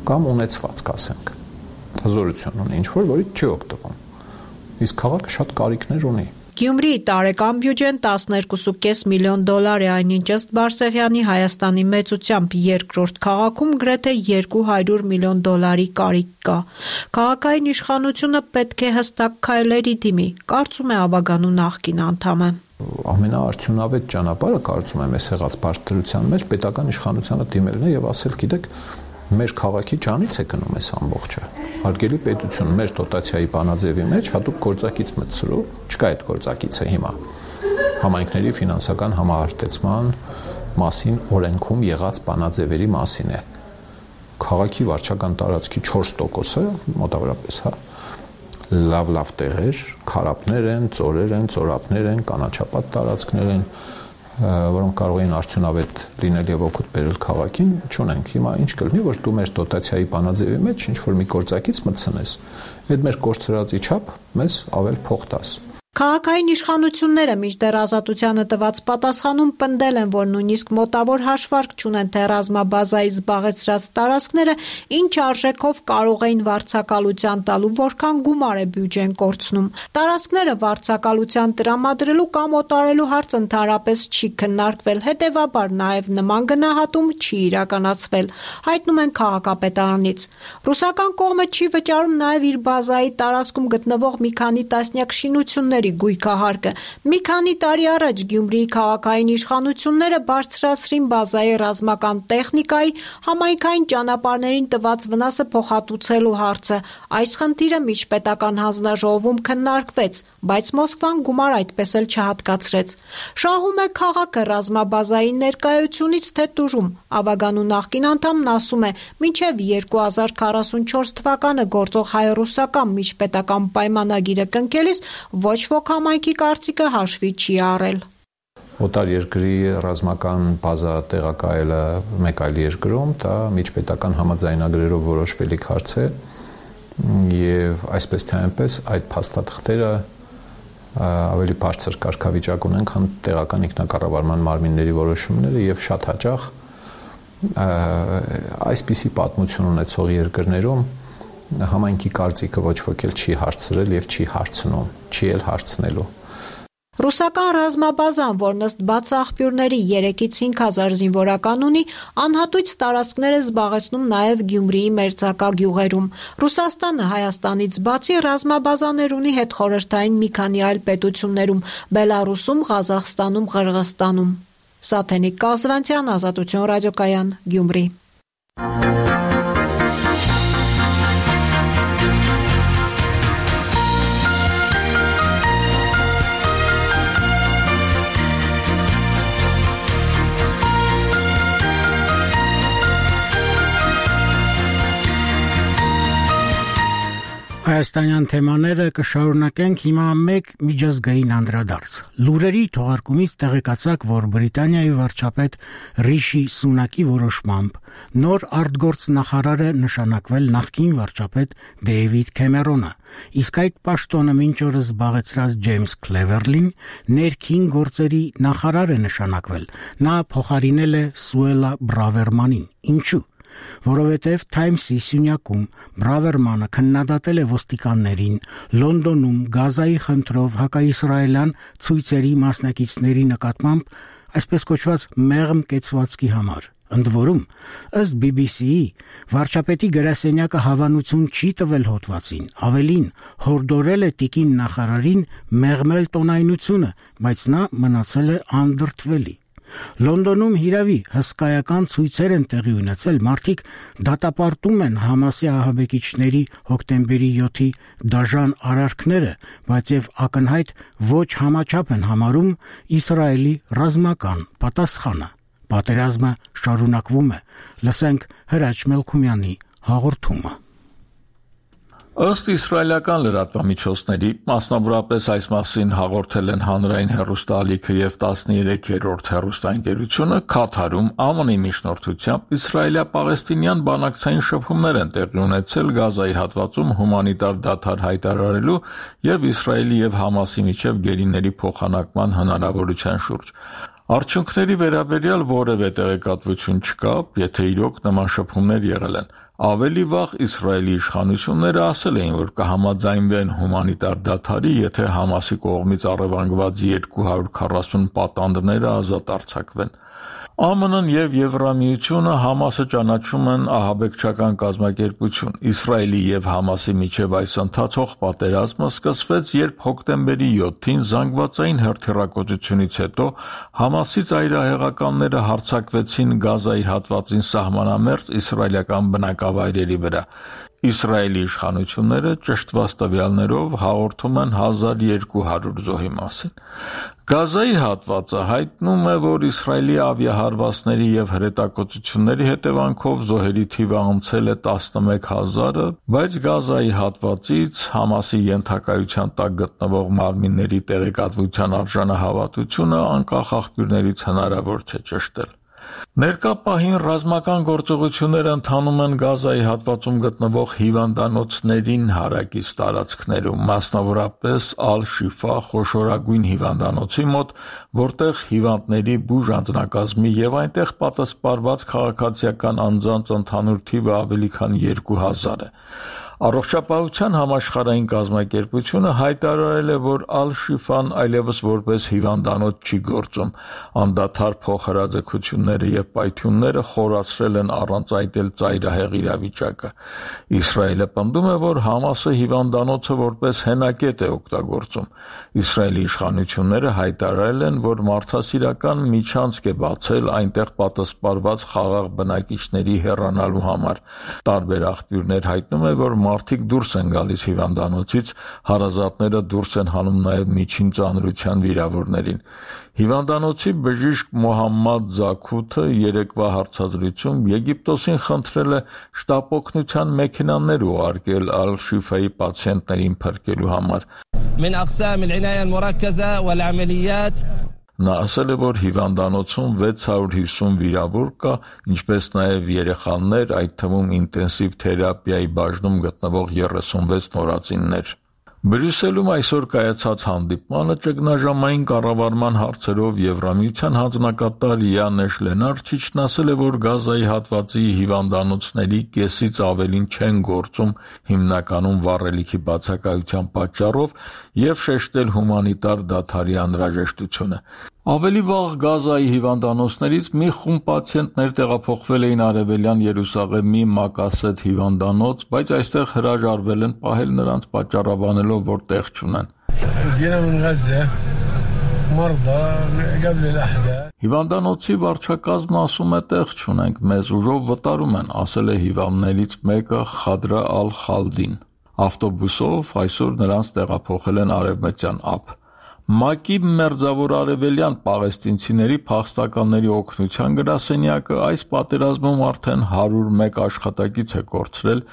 S: Կամ ունեցված, կասենք, հզորություն ունի, ինչ-որ որից չի օգտվում։ Իսկ քաղաքը շատ կարիքներ ունի։
R: Գյումրիի տարեկան բյուջեն 12.5 միլիոն դոլար է, այնինչ ըստ Բարսեղյանի Հայաստանի մեծությամբ երկրորդ քաղաքում գրեթե 200 միլիոն դոլարի կարիք կա։ Քաղաքային իշխանությունը պետք է հստակ քայլերի դիմի, կարծում է Ավագանու նախկին անդամը։
S: Ամենաարդյունավետ ճանապարհը, կարծում եմ, այս եղած բարդության մեջ պետական իշխանությանը դիմելն է եւ ասել, գիտեք, մեր քաղաքի ջանից է գնում այս ամբողջը։ Հարգելի պետություն, մեր դոտացիայի բանաձևի մեջ հատուկ գործակից մտցրու, չկա այդ գործակիցը հիմա։ Համայնքների ֆինանսական համահարտեցման մասին օրենքում եղած բանաձևերի մասին է։ Քաղաքի վարչական տարածքի 4%-ը մոտավորապես, լավ տեղեր, քարապներ են, ծորեր են, ծորապներ են, կանաչապատ տարածքներ են, որոնք կարող են արդյունավետ լինել եւ օգուտ բերել քաղաքին, չունենք։ Հիմա ինչ կլինի, որ դու մեր դոտացիայի բանաձևի մեջ ինչ որ մի գործակից մտցնես, այդ մեր կորցրածի չափ մեզ ավել փող տաս։
R: Քաղաքային իշխանությունները մինչդեռ Ազատությանը տված պատասխանում պնդել են, որ նույնիսկ մոտավոր հաշվարկ չունեն, թե ռազմաբազայի զբաղեցրած տարածքները ինչ արժեքով կարող էին վարձակալության տալու, որքան գումար է բյուջեն կորցնում։ Տարածքները վարձակալության տրամադրելու կամ օտարելու հարց ընդհանրապես չի քննարկվել, հետևաբար նաև նման գնահատում չի իրականացվել, հայտնում են քաղաքապետարանից։ Ռուսական կողմը չի վճարում նաև իր բազայի տարածքում գտնվող մի քանի տասնյակ շինությունների գույքահարկը։ Մի քանի տարի առաջ Գյումրիի քաղաքային իշխանությունները բարձրացրին բազայի ռազմական տեխնիկայի համայնքային ճանապարհներին տված վնասը փոխհատուցելու հարցը։ Այս խնդիրը միջպետական հանձնաժողովում քննարկվեց, բայց Մոսկվան գումար այդպես էլ չհատկացրեց։ Շահում է քաղաքը ռազմաբազայի ներկայությունից թե տուժում։ Ավագանու նախկին անդամն ասում է, մինչև 2044 թվականը գործող հայ-ռուսական միջպետական պայմանագիրը կնքելիս ոչ ոք համայնքի կարծիքը հաշվի չի առել։
S: Օտար երկրի ռազմական բազա տեղակայելը մեկ այլ երկրում, դա միջպետական համաձայնագրերով որոշվելիք հարց է եւ այսպես թե այնպես այդ փաստաթղթերը ավելի բարձր կարգավիճակ ունեն, քան տեղական ինքնակառավարման մարմինների որոշումները եւ շատ հաճախ այսպիսի պատմություն ունեցող երկրներում համայնքի կարծիքը ոչ ոք էլ չի հարցրել եւ չի հարցնում, չի էլ հարցնելու։
R: Ռուսական ռազմաբազան, որն ըստ բաց աղբյուրների 3-ից 5000 զինվորական ունի, անհատույց տարածքներ է զբաղեցնում նաև Գյումրիի մերձակա գյուղերում։ Ռուսաստանը Հայաստանից բացի ռազմաբազաներ ունի հետխորհրդային մի քանի այլ պետություններում՝ Բելարուսում, Ղազախստանում, Ղրղստանում։ Սաթենիկ Կազվանցյան, Ազատություն ռադիոկայան, Գյումրի։
A: Հայաստանյան թեմաները կշարունակենք հիմա մեկ միջազգային անդրադարձ։ Լուրերի թողարկումից տեղեկացաք, որ Բրիտանիայի վարչապետ Ռիշի Սունակի որոշմամբ նոր արտգործ նախարարը նշանակվել նախկին վարչապետ Դեյվիդ Քեմերոնը, իսկ այդ պաշտոնը մինչ օրս զբաղեցրած Ջեյմս Քլևերլին ներքին գործերի նախարար է նշանակվել։ Նա փոխարինել է Սուելա Բրավերմանին։ Ինչու՞։ Որովհետև Times-ի սյունյակում Բրավերմանը քննադատել է ոստիկաններին Լոնդոնում Գազայի խնդրով հակաիսրայելյան ցույցերի մասնակիցների նկատմամբ այսպես կոչված մեղմ կեցվածքի համար։ Ընդ որում, ըստ BBC-ի, վարչապետի գրասենյակը հավանություն չի տվել հոդվածին, ավելին հորդորել է տիկին նախարարին մեղմել տոնայնությունը, բայց նա մնացել է անդրդվելի։ Լոնդոնում հիրավի հսկայական ցույցեր են տեղի ունեցել, մարդիկ դատապարտում են Համասի ահաբեկիչների հոկտեմբերի 7-ի դաժան արարքները, բայց եւ ակնհայտ ոչ համաչափ են համարում Իսրայելի ռազմական պատասխանը։ Պատերազմը շարունակվում է։ Լսենք Հրաչ Մելքումյանի հաղորդումը։
T: Ըստ իսրայելական լրատվամիջոցների, մասնավորապես այս մասին հաղորդել են հանրային հեռուստաալիքը եւ 13-րդ հեռուստաընկերությունը, Քաթարում ԱՄՆ-ի միջնորդությամբ իսրայելա-պաղեստինյան բանակցային շփումներ են տեղի ունեցել Գազայի հատվածում հումանիտար դադար հայտարարելու եւ Իսրայելի եւ Համասի միջև գերիների փոխանակման հնարավորության շուրջ։ Արդյունքների վերաբերյալ որևէ տեղեկատվություն չկա, եթե իրոք նման շփումներ եղել են։ Ավելի վաղ Իսրայելի իշխանությունները ասել էին, որ կհամաձայնվեն հումանիտար դադարի, եթե Համասի կողմից առևանգված 240 պատանդները ազատ արձակվեն։ ԱՄՆ-ն եւ Եվրամիությունը Համասը ճանաչում են ահաբեկչական կազմակերպություն։ Իսրայելի եւ Համասի միջև այս ընթացող պատերազմը սկսվեց, երբ հոկտեմբերի 7-ին զանգվածային հրթիռակոծությունից հետո Համասի ծայրահեղականները հարձակվեցին Գազայի հատվածին սահմանամերձ իսրայելական բնակավայրերի վրա։ Իսրայելի իշխանությունները ճշտված տվյալներով հաղորդում են 1200 զոհի մասին։ Գազայի հատվածը հայտնում է, որ Իսրայելի ավիահարվածների եւ հրետակոծությունների հետևանքով զոհերի թիվը անցել է 11000-ը, բայց Գազայի հատվածից Համասի ենթակայության տակ գտնվող մարմինների տեղեկատվության արժանահավատությունը անկախ աղբյուրներից հնարավոր չէ ճշտել։ Ներկա պահին ռազմական գործողությունները ընթանում են Գազայի հատվածում գտնվող հիվանդանոցներին հարակից տարածքներում, մասնավորապես Ալ-Շիֆա խոշորագույն հիվանդանոցի մոտ, որտեղ հիվանդների բուժ անձնակազմի եւ այնտեղ պատասպարված քաղաքացիական անձանց ընդհանուր թիվը ավելի քան 2000 է։ Առողջապահության համաշխարհային կազմակերպությունը հայտարարել է, որ Ալ-Շիֆան այլևս որպես հիվանդանոց չի գործում։ Անդադար փոխհրաձգությունները եւ պայթյունները խորացրել են առանց այտել ծայրահեղ իրավիճակը։ Իսրայելը պնդում է, որ Համասը հիվանդանոցը որպես հենակետ է օգտագործում։ Իսրայելի իշխանությունները հայտարարել են, որ մարդասիրական միջանցք է բացել այնտեղ պատասպարված խաղաղ բնակիչների հեռանալու համար։ Տարբեր աղբյուրներ հայտնում են, որ մարդիկ դուրս են գալիս հիվանդանոցից, հարազատները դուրս են հանում նաև միջին ծանրության վիրավորներին։ Հիվանդանոցի բժիշկ Մոհամմադ Զաքութը երեկվա հարցազրույցում Եգիպտոսին խնդրել է շտապօգնության մեքենաներ ուղարկել Ալ-Շիֆայի պացիենտներին փրկելու համար։ Նա ասել է, որ հիվանդանոցում 650 վիրավոր կա, ինչպես նաև երեխաներ, այդ թվում ինտենսիվ թերապիայի բաժնում գտնվող 36 նորածիններ։ Բրյուսելում այսօր կայացած հանդիպմանը ճգնաժամային կառավարման հարցերով Եվրամիության հանձնակատար Յանեշ Լենարչիչն ասել է, որ Գազայի հատվածի հիվանդանոցների կեսից ավելին չեն գործում հիմնականում վառելիքի բացակայության պատճառով եւ շեշտել հումանիտար դադարի անհրաժեշտությունը։ Ավելի վաղ Գազայի հիվանդանոցներից մի խումբ պացիենտներ տեղափոխվել էին Արևելյան Երուսաղեմի Մակասետ հիվանդանոց, բայց այստեղ հրաժարվել են պահել նրանց պատճառաբանելով, որ տեղ չունեն։ Հիվանդանոցի վարչակազմը ասում է, տեղ չունենք, մեզ ուժով վտարում են, ասել է հիվանդներից մեկը Խադրա Ալ-Խալդին։ Ավտոբուսով այսօր նրանց տեղափոխել են Արևմտյան ափ։ ՄԱԿ-ի մերձավոր արևելյան պաղեստինցիների փախստականների օգնության գրասենյակը այս պատերազմում արդեն 101 աշխատակից է կորցրել,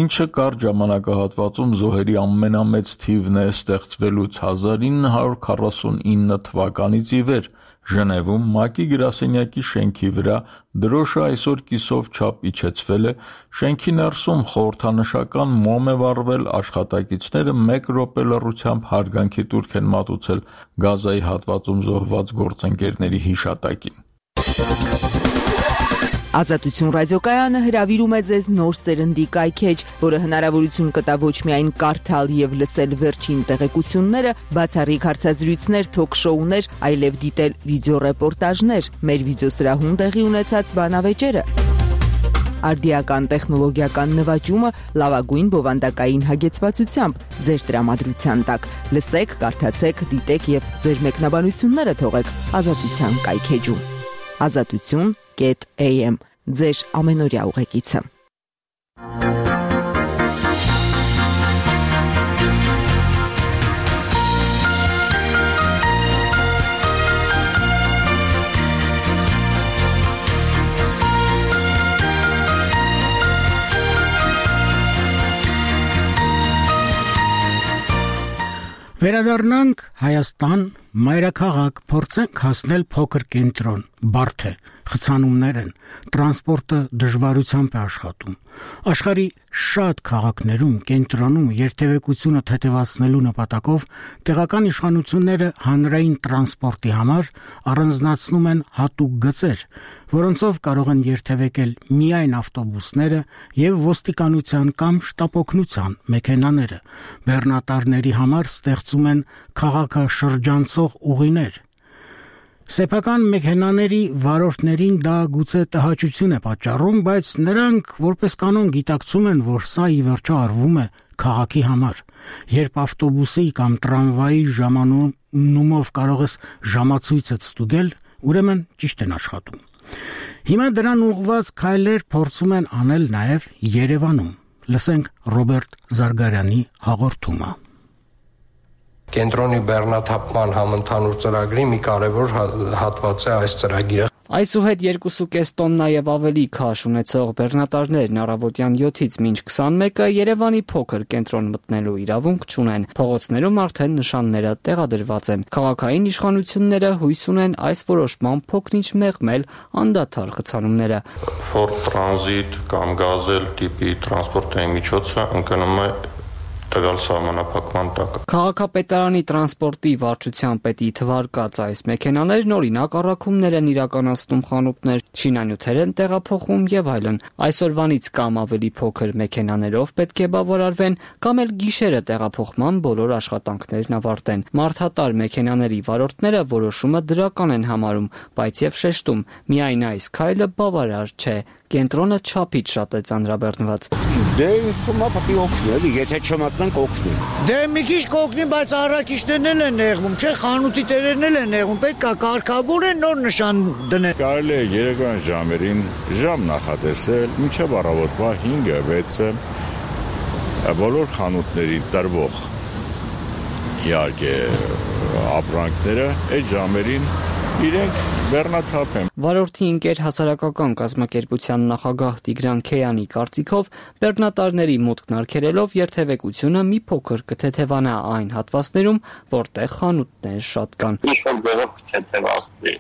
T: ինչը կարճ ժամանակահատվածում զոհերի ամենամեծ թիվն է ստեղծվելուց 1949 թվականից ի վեր։ Ժնևում ՄԱԿ-ի գրասենյակի շենքի վրա դրոշը այսօր կիսով չափ իջեցվել է, շենքի ներսում խորհրդանշական մոմ է վառվել, աշխատակիցները 1 րոպե լռությամբ հարգանքի տուրք են մատուցել Գազայի հատվածում զոհված գործընկերների հիշատակին։
U: Ազատություն ռադիոկայանը հրավիրում է ձեզ նոր սերնդի կայքեջ, որը հնարավորություն կտա ոչ միայն կարդալ եւ լսել վերջին տեղեկությունները, բացառիկ հարցազրույցներ, թոք-շոուներ, այլև դիտել վիդեոռեպորտաժներ, մեր վիդեոսրահում տեղի ունեցած բանավեճերը։ Արդիական տեխնոլոգիական նվաճումը լավագույն բովանդակային հագեցվածությամբ ձեր տրամադրության տակ։ Լսեք, կարդացեք, դիտեք եւ ձեր մեկնաբանությունները թողեք Ազատության կայքեջում։ Azatutun.am ձեր ամենօրյա ուղեկիցը։
A: Վերադառնանք Հայաստան, մայրաքաղաք, փորձենք հասնել փոքր կենտրոն, բարդ է, խցանումներ են, տրանսպորտը դժվարությամբ է աշխատում։ Աշխարհի շատ քաղաքներում կենտրոնում երթևեկությունը թեթևացնելու նպատակով տեղական իշխանությունները հանրային տրանսպորտի համար առանձնացնում են հատուկ գծեր, որոնցով կարող են երթևեկել միայն ավտոբուսները եւ ոստիկանության կամ շտապօգնության մեքենաները։ Բեռնատարների համար ստեղծում են քաղաքը շրջանցող ուղիներ։ Սեփական մեքենաների վարորդներին դա գուցե տհաճություն է պատճառում, բայց նրանք որպես կանոն գիտակցում են, որ սա ի վերջո արվում է քաղաքի համար։ Երբ ավտոբուսի կամ տրամվայի ժամանումով կարող ես ժամացույցդ ստուգել, ուրեմն ճիշտ են աշխատում։ Հիմա դրան ուղղված քայլեր փորձում են անել նաև Երևանում։ Լսենք Ռոբերտ Զարգարյանի հաղորդումը։
V: Կենտրոնի բեռնաթափման համընդհանուր ծրագրի մի կարևոր հատված է այս ծրագիրը։
O: Այսուհետ 2.5 տոննա եւ ավելի քաշ ունեցող բեռնատարներն առավոտյան 7-ից մինչ 21-ը Երևանի փոքր կենտրոն մտնելու իրավունք չունեն։ Փողոցներում արդեն նշանները տեղադրված են։ Քաղաքային իշխանությունները հույս ունեն այս որոշմամբ փոքրինչ մեղմել անդադար խցանումները։
W: Ford Transit կամ Gazelle տիպի տրանսպորտային միջոցը ընկնում է տվյալ սահմանափակման տակ։
O: Քաղաքապետարանի տրանսպորտի վարչության պետի թվարկած այս մեքենաներն օրինակ առաքումներ են իրականացնում խանութներ, շինանյութեր են տեղափոխում եւ այլն։ Այսօրվանից կամ ավելի փոքր մեքենաներով պետք է բավարարվեն, կամ էլ գիշերը տեղափոխման բոլոր աշխատանքներն ավարտեն։ Մարդատար մեքենաների վարորդները որոշումը դրական են համարում, բայց եւ շեշտում, միայն այս քայլը բավարար չէ։ Կենտրոնը չափից շատ է ծանրաբեռնված։
X: Դե ինձ թվում է պետք է օգնի, էլի, եթե չմատնենք օգնի։ Դե մի քիչ կօգնի, բայց առաքիչներն էլ են նեղվում, չէ, խանութի տերերն էլ են նեղվում, պետք է կարգավորեն, նոր նշան դնեն։
Y: Կարելի է երեկոյան ժամերին ժամ նախատեսել, մինչև առավոտվա 5-6-ը բոլոր խանութներին տրվող իհարկե ապրանքները այդ ժամերին իրենք բեռնաթափ են։
O: Վարորդի ընկեր հասարակական կազմակերպության նախագահ Տիգրան Քեյանի կարծիքով բեռնատարների մուտքն արգելելով երթևեկությունը մի փոքր կթեթևանա այն հատվածներում, որտեղ խանութներ շատ կան։
Z: Ինչ-որ ձևով կթեթևացնի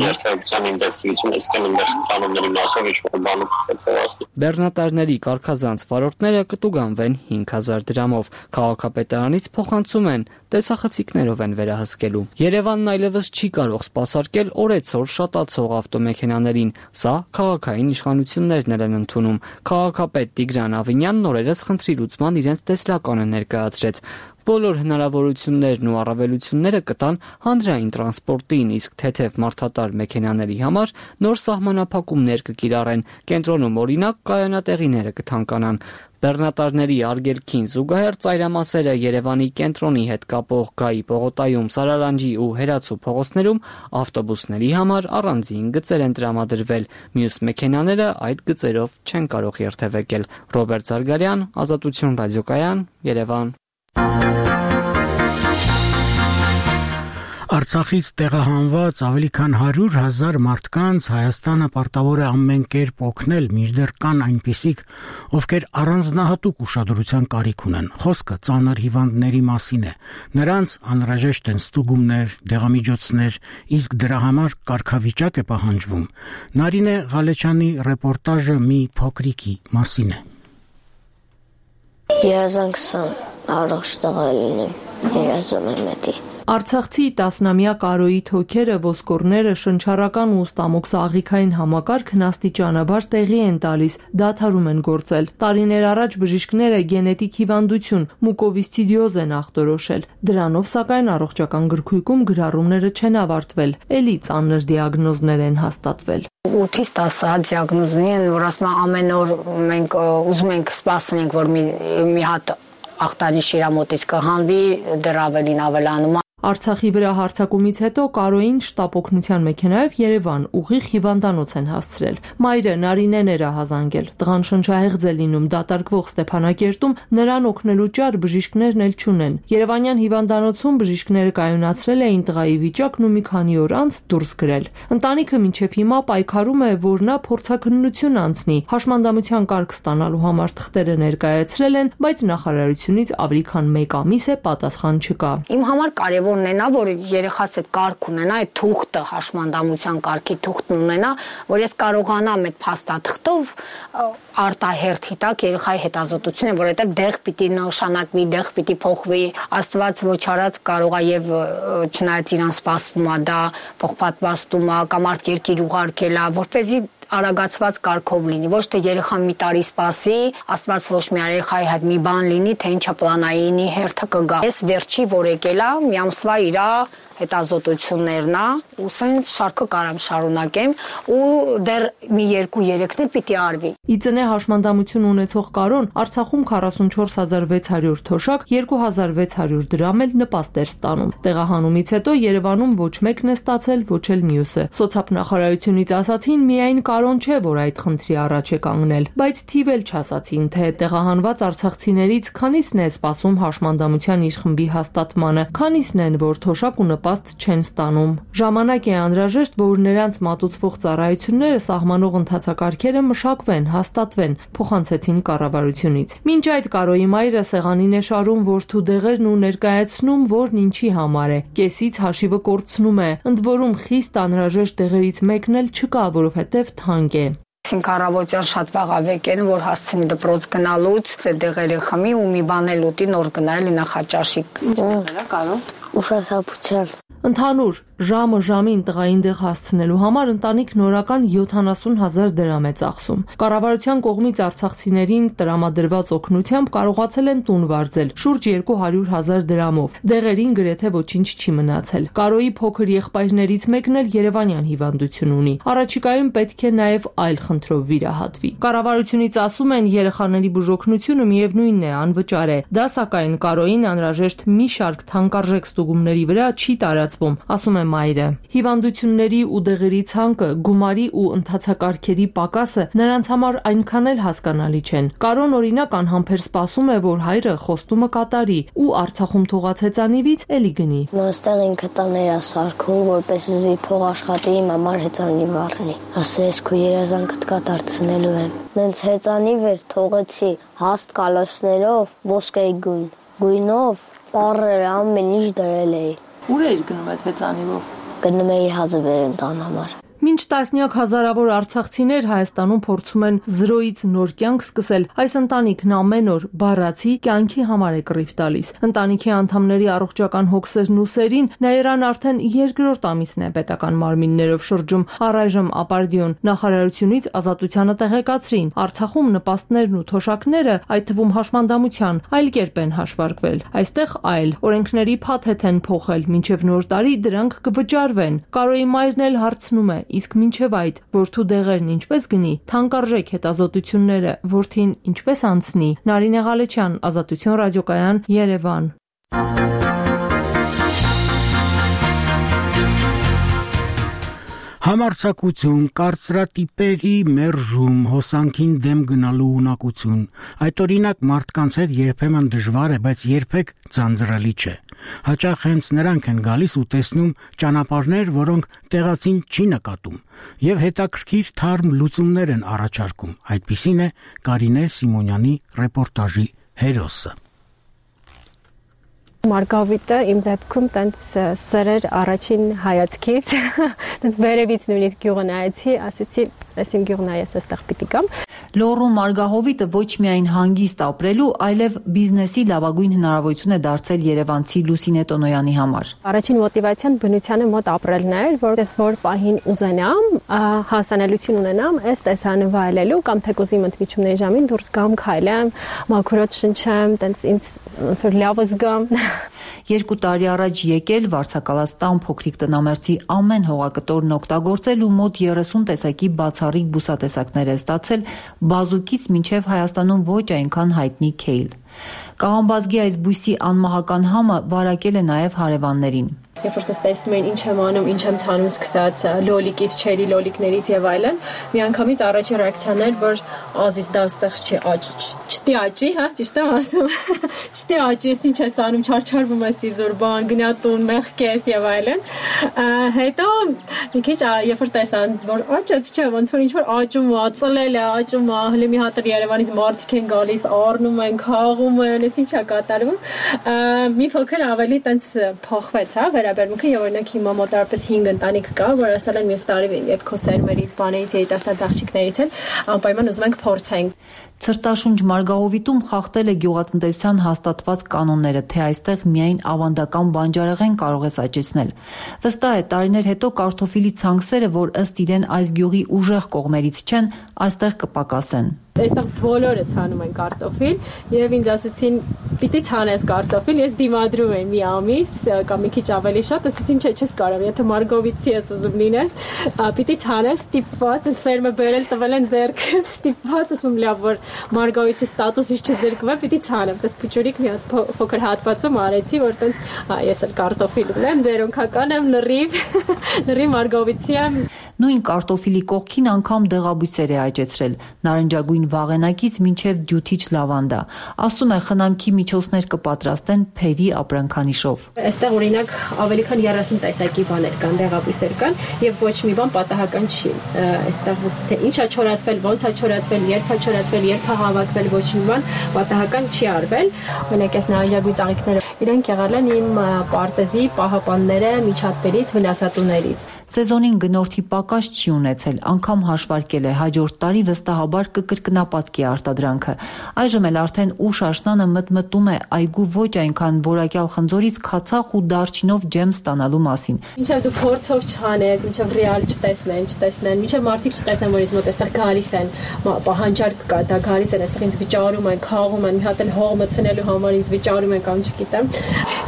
Z: երթևեկության ինտենսիվությունը, իսկ այնտեղ ցանումների մասով ինչ-որ բան կթեթևացնի։
O: Բեռնատարների կարգազանց վարորդները կտուգանվեն 5000 դրամով։ Քաղաքապետարանից փոխանցում են տեսախցիկներով են վերահսկելու։ Երևանն այլևս չի կարող սպասարկել օրեցօր շատացող ավտոմեքենաներին։ Սա քաղաքային իշխանություններն են ընդունում։ Քաղաքապետ Տիգրան Ավինյանն օրերս խնդրի լուծման իրենց տեսլականը ներկայացրեց։ Բոլոր հնարավորություններն ու առավելությունները կտան հանրային տրանսպորտին, իսկ թեթև մարդատար մեքենաների համար նոր սահմանափակումներ կկիրառեն։ Կենտրոնում օրինակ կայանատեղիները կթանկանան։ Բեռնատարների արգելքին զուգահեռ ծայրամասերը Երևանի կենտրոնի հետ կապող Գայի պողոտայում, Սարալանջի ու Հերացու փողոցներում ավտոբուսների համար առանձին գծեր են տրամադրվել։ Մյուս մեքենաները այդ գծերով չեն կարող երթևեկել։ Ռոբերտ Զարգարյան, Ազատություն ռադիոկայան, Երևան։
A: Արցախից տեղահանված ավելի քան 100,000 մարդկանց Հայաստանը պարտավոր է ամեն կերպ օգնել, մինչդեռ կան այնպիսիք, ովքեր առանձնահատուկ ուշադրության կարիք ունեն։ Խոսքը ծանր հիվանդների մասին է։ Նրանց անհրաժեշտ են ստուգումներ, դեղամիջոցներ, իսկ դրա համար կարգավիճակ է պահանջվում։ Նարինե Ղալեչյանի ռեպորտաժը մի փոքրիկի մասին է։
B: Երազանքսամ առողջ տղա լինեմ, երազում եմ էդի։
I: Արցախցի 10-ամյա Կարոյի թոքերը, ոսկորները, շնչառական ու ստամոքսաղիքային համակարգն աստիճանաբար տեղի են տալիս, դադարում են գործել։ Տարիներ առաջ բժիշկները գենետիկ հիվանդություն մուկովիսցիդիոզ են ախտորոշել։ Դրանով սակայն առողջական գրքույկում գրառումները չեն ավարտվել, էլի ծանր դիագնոզներ են հաստատվել։
C: 8-ից 10 դիագնոզներ են, որ ասում ամեն օր մենք ուզում ենք սպասում ենք, որ մի հատ ախտանիշ իր մոտից կհանվի, դեռ ավելին ավելանում։
I: Արցախի վրա հարձակումից հետո Կարոյին շտապ օգնության մեքենայով Երևան ուղիղ հիվանդանոց են հասցրել։ Մայրը Նարինեն էր ահազանգել։ Տղան շնչահեղձ է լինում դատարկվող Ստեփանակերտում, նրան օգնելու ճար բժիշկներն էլ չունեն։ Երևանյան հիվանդանոցում բժիշկները կայունացրել էին տղայի վիճակն ու մի քանի օր անց դուրս գրել։ Ընտանիքը մինչև հիմա պայքարում է, որ նա փորձաքննություն անցնի։ Հաշմանդամության կարգ ստանալու համար թղթերը ներկայացրել են, բայց նախարարությունից ավելի քան 1 ամիս է պատասխան չկա։
C: Իմ համար կարևոր ունենա, որ երեխաս այդ կարգ ունենա, այդ թուղթը, հաշմանդամության կարգի թուղթն ունենա, որ ես կարողանամ այդ փաստաթղթով արտահերթի տակ երեխայի հետազոտությունը, որովհետև դեղ պիտի նշանակվի, դեղ պիտի փոխվի, Աստված ոչ արած կարող է եւ չնայած իրան սպասվում է դա փոխպատվաստում է կամ արդ երկիր ուղարկել է, որպեսզի արագացված կարգով լինի, ոչ թե երեխան մի տարի սպասի, Աստված ոչ մի երեխայի հետ մի բան լինի, թե ինչա պլանայինի հերթը կգա։ Ես վերջի որ եկել է, մի ամսվա իրա հետազոտություններն է, ու սենց շարքը կարամ շարունակեմ ու դեռ մի 2-3-ներ պիտի արվի։
I: Իծնե հաշմանդամություն ունեցող Կարոն Արցախում 44600 թոշակ, 2600 դրամ էլ նպաստ էր ստանում։ Տեղահանումից հետո Երևանում ոչ մեկն է ստացել, ոչ էլ մյուսը։ Սոցիալնախարարությունից ասացին միայն Կարոն չէ, որ այդ խնդրի առաջ է կանգնել, բայց թիվ էլ չասացին, թե տեղահանված արցախցիներից քանիսն է սպասում հաշմանդամության իր խմբի հաստատմանը, քանիսն են, որ թոշակ ու նպաստ չեն ստանում։ Ժամանակ է անհրաժեշտ, որ նրանց մատուցվող ծառայությունները սահմանող ընթացակարգերը մշակվեն, հաստատվեն, փոխանցեցին կառավարությունից։ Մինչ այդ Կարոյի մայրը սեղանին է շարում որդու դեղերն ու ներկայացնում, որն ինչի համար է։ Կեսից հաշիվը կորցնում է, ընդ որում խիստ անհրաժեշտ դեղերից մեկն էլ չկա, որովհետև թանկ է։
C: Առավոտյան շատ վաղավեկ են, որ հասցնի դպրոց գնալուց, դեղերը խմի ու մի բան էլ ուտի, նոր գնայել նախաճաշիկ։
B: Ուշաթափության։
I: Ընդհանուր ժամը-ժամին տղային դեղ հասցնելու համար ընտանիքն օրական 70,000 դրամ է ծախսում։ Կառավարության կողմից արցախցիներին տրամադրված օգնությամբ կարողացել են տուն վարձել շուրջ 200,000 դրամով։ Դեղերին գրեթե ոչինչ չի մնացել։ Կարոյի փոքր եղբայրներից մեկն էլ երևանյան հիվանդություն ունի։ Առաջիկայում պետք է նաև այլ խնդրով վիրահատվի։ Կառավարությունից ասում են երեխաների բուժօգնությունը միևնույնն է անվճար է։ Դա սակայն Կարոյին անհրաժեշտ մի շարք թանկարժեք ստուգումների վրա չի տարածվում, ասում է մայրը։ Հիվանդությունների ու դեղերի ցանկը, գումարի ու ընթացակարգերի պակասը նրանց համար այնքան էլ հասկանալի չեն։ Կարոն օրինակ անհամբեր սպասում է, որ հայրը խոստումը կատարի ու Արցախում թողած հեծանիվից էլի գնի։
B: Այստեղ ինքը տաներ է սարքում, որպեսզի փող աշխատի իմ համար հեծանիվ առնի։ Ասես քո երազանքդ կատարցնելու եմ։ Նենց հեծանիվ էր թողեցի հաստ կալոսներով, ոսկեի գույնով, ծառերը ամեն ինչ դրել էի։
I: Ուր էիր գնում այդ հեծանիվով։
B: Գնում էի հացը բերեմ տան համար։
I: Մինչ տասնյակ հազարավոր արցախցիներ Հայաստանում փորձում են 0-ից նոր կյանք սկսել, այս ընտանիքն ամեն օր բառացի կյանքի համար է կռիվ տալիս։ Ընտանիքի անդամների առողջական հոգսերն ու սերին Նաիրան արդեն երկրորդ ամիսն է պետական մարմիններով շրջում, առայժմ ապարդյուն։ Նախարարությունից ազատությանը տեղեկացրին, Արցախում նպաստներն ու թոշակները, այդ թվում հաշմանդամության, այլ կերպ են հաշվարկվել։ Այստեղ այլ օրենքների փաթեթ են փոխել, մինչև նոր տարի դրանք կվճարվեն։ Կարոյի մայրն էլ հարցնում է, իսկ մինչև այդ որդու դեղերն ինչպես գնի, թանկարժեք հետազոտությունները որդին ինչպես անցնի։ Նարինե Ղալեչյան, Ազատություն ռադիոկայան, Երևան։
A: Համարձակություն, կարծրատիպերի մերժում, հոսանքին դեմ գնալու ունակություն, այդ օրինակ մարդկանց հետ երբեմն դժվար է, բայց երբեք ձանձրալի չէ։ Հաճախ հենց նրանք են գալիս ու տեսնում ճանապարհներ, որոնք տեղացին չի նկատում, եւ հետաքրքիր թարմ լուծումներ են առաջարկում։ Այդպիսին է Կարինե Սիմոնյանի ռեպորտաժի հերոսը։
D: Մարգավիտը իմ դեպքում տենց սրեր առաջին հայացքից, տենց վերևից նույնիսկ գյուղը նայեցի, ասեցի, այս իմ գյուղն է, ես այստեղ պիտի գամ։
U: Լոռու Մարգահովիտը ոչ միայն հանգիստ ապրելու, այլև բիզնեսի լավագույն հնարավորություն է դարձել երևանցի Լուսինե Տոնոյանի համար։
D: Առաջին մոտիվացիան բնությանը մոտ ապրելն էր, որտես որ պահին ուզենամ, հասանելիություն ունենամ, այս տեսանը վայելելու կամ թեկուզ իմ ընդմիջումների ժամին դուրս գամ, քայլեմ, մաքրոց շնչեմ, տենց ինձ ոնց որ լավ զգամ։
U: 2 տարի առաջ եկել վարձակալած տան փոքրիկ տնամերձի ամեն հողակտորն օգտագործել ու մոտ 30 տեսակի բացառիկ բուսատեսակներ է ստացել բազուկից մինչև Հայաստանում ոչ այնքան հայտնի քեյլ։ Կաղամբազգի այս բույսի անմահական համը վարակել է նաև հարևաններին։
D: Երբ որ տեսնում են ինչ եմ անում, ինչ եմ ցանում, սկսած լոլիկից, չերի լոլիկներից եւ այլն, միանգամից առաջի ռեակցիան էր, որ ազիս դա այստեղ չի, չտի աճի, հա, ճիշտ եմ ասում։ Չտի աճի, ես ինչ ես անում, չարչարվում ես իզուր բան, գնատուն, մեղքես եւ այլն։ Հետո մի քիչ երբ որ տեսան, որ աճեց, չէ, ոնց որ ինչ որ աճում ու ածլել է, աճում է, հələ մի հատ Երևանից մարդիկ են գալիս, առնում են, խաղում են, ես ինչա կատարվում։ Մի փոքր ավելի տենց փոխվեց, հա, վերաբերմունքը եւ օրինակ հիմա մոտավորապես 5 ընտանիք կա, որ ասել են մյուս տարի երբ քո սերմերից, բաներից, երիտասարդ աղջիկներից են, անպայման ուզում ենք փորձենք։
U: Ցրտաշունչ Մարգահովիտում խախտել է գյուղատնտեսության հաստատված կանոնները, թե այստեղ միայն ավանդական բանջարեղեն կարող է աճեցնել։ Վստահ է, տարիներ հետո կարտոֆիլի ցանքսերը, որ ըստ իրեն այս գյուղի ուժեղ կողմերից չեն, այստեղ կպակասեն։
D: Այստեղ բոլորը ցանում են կարտոֆիլ եւ ինձ ասեցին պիտի ցանես կարտոֆիլ, ես դիմադրում եմ մի ամիս կամ մի քիչ ավելի շատ, ասեցին չէ, չես կարող, եթե Մարգովիցի ես ուզում լինես, պիտի ցանես, ստիպված, սերմը բերել տվել են ձեռքս, ստիպված, ասում լավ, որ Մարգովիցի ստատուսից չզրկվեմ, պիտի ցանեմ, պես փուճուրիկ մի հատ փոքր հատվածում արեցի, որ տենց ես էլ կարտոֆիլ ունեմ, ձերոնքական եմ, լրիվ Մարգովիցի եմ։
U: Նույն կարտոֆիլի կողքին անգամ դեղաբույսեր է աճեցրել, նարնջագույն վաղենակից մինչև դյութիչ լավանդա։ Ասում է խնամքի միջոցներ կպատրաստեն փերի ապրանքանիշով։
D: Այստեղ օրինակ ավելի քան 30 տեսակի բաներ կան, դեղաբույսեր կան եւ ոչ մի բան պատահական չի։ Այստեղ թե ինչա չորացվել, ոնց է չորացվել, երբ է չորացվել, երբ է հավաքվել, ոչ մի բան պատահական չի արվել։ Օրինակ այս նարնջագույն ծաղիկները իրենք եղել են իմ պարտեզի պահապանները միջատներից, վնասատուներից։
U: Սեզոնին գնորդի պակաս չի ունեցել, անգամ հաշվարկել է հաջորդ տարի վստահաբար կկրկնապատկի արտադրանքը։ Այժմ էլ արդեն ուշ աշնանը մտմտում է այգու ոչ այնքան որակյալ խնձորից քացախ ու դարչինով ջեմ ստանալու մասին։
D: Մինչև դու փորձով չանես, մինչև ռեալ չտեսնեն, մինչև մարդիկ չտեսնեն, որ ինձ մոտ այստեղ գալիս են, պահանջարկ կա, դա գալիս են, այստեղ ինձ վճարում են, խաղում են, մի հատ էլ հող մցնելու համար ինձ վճարում են կամ չգիտեմ։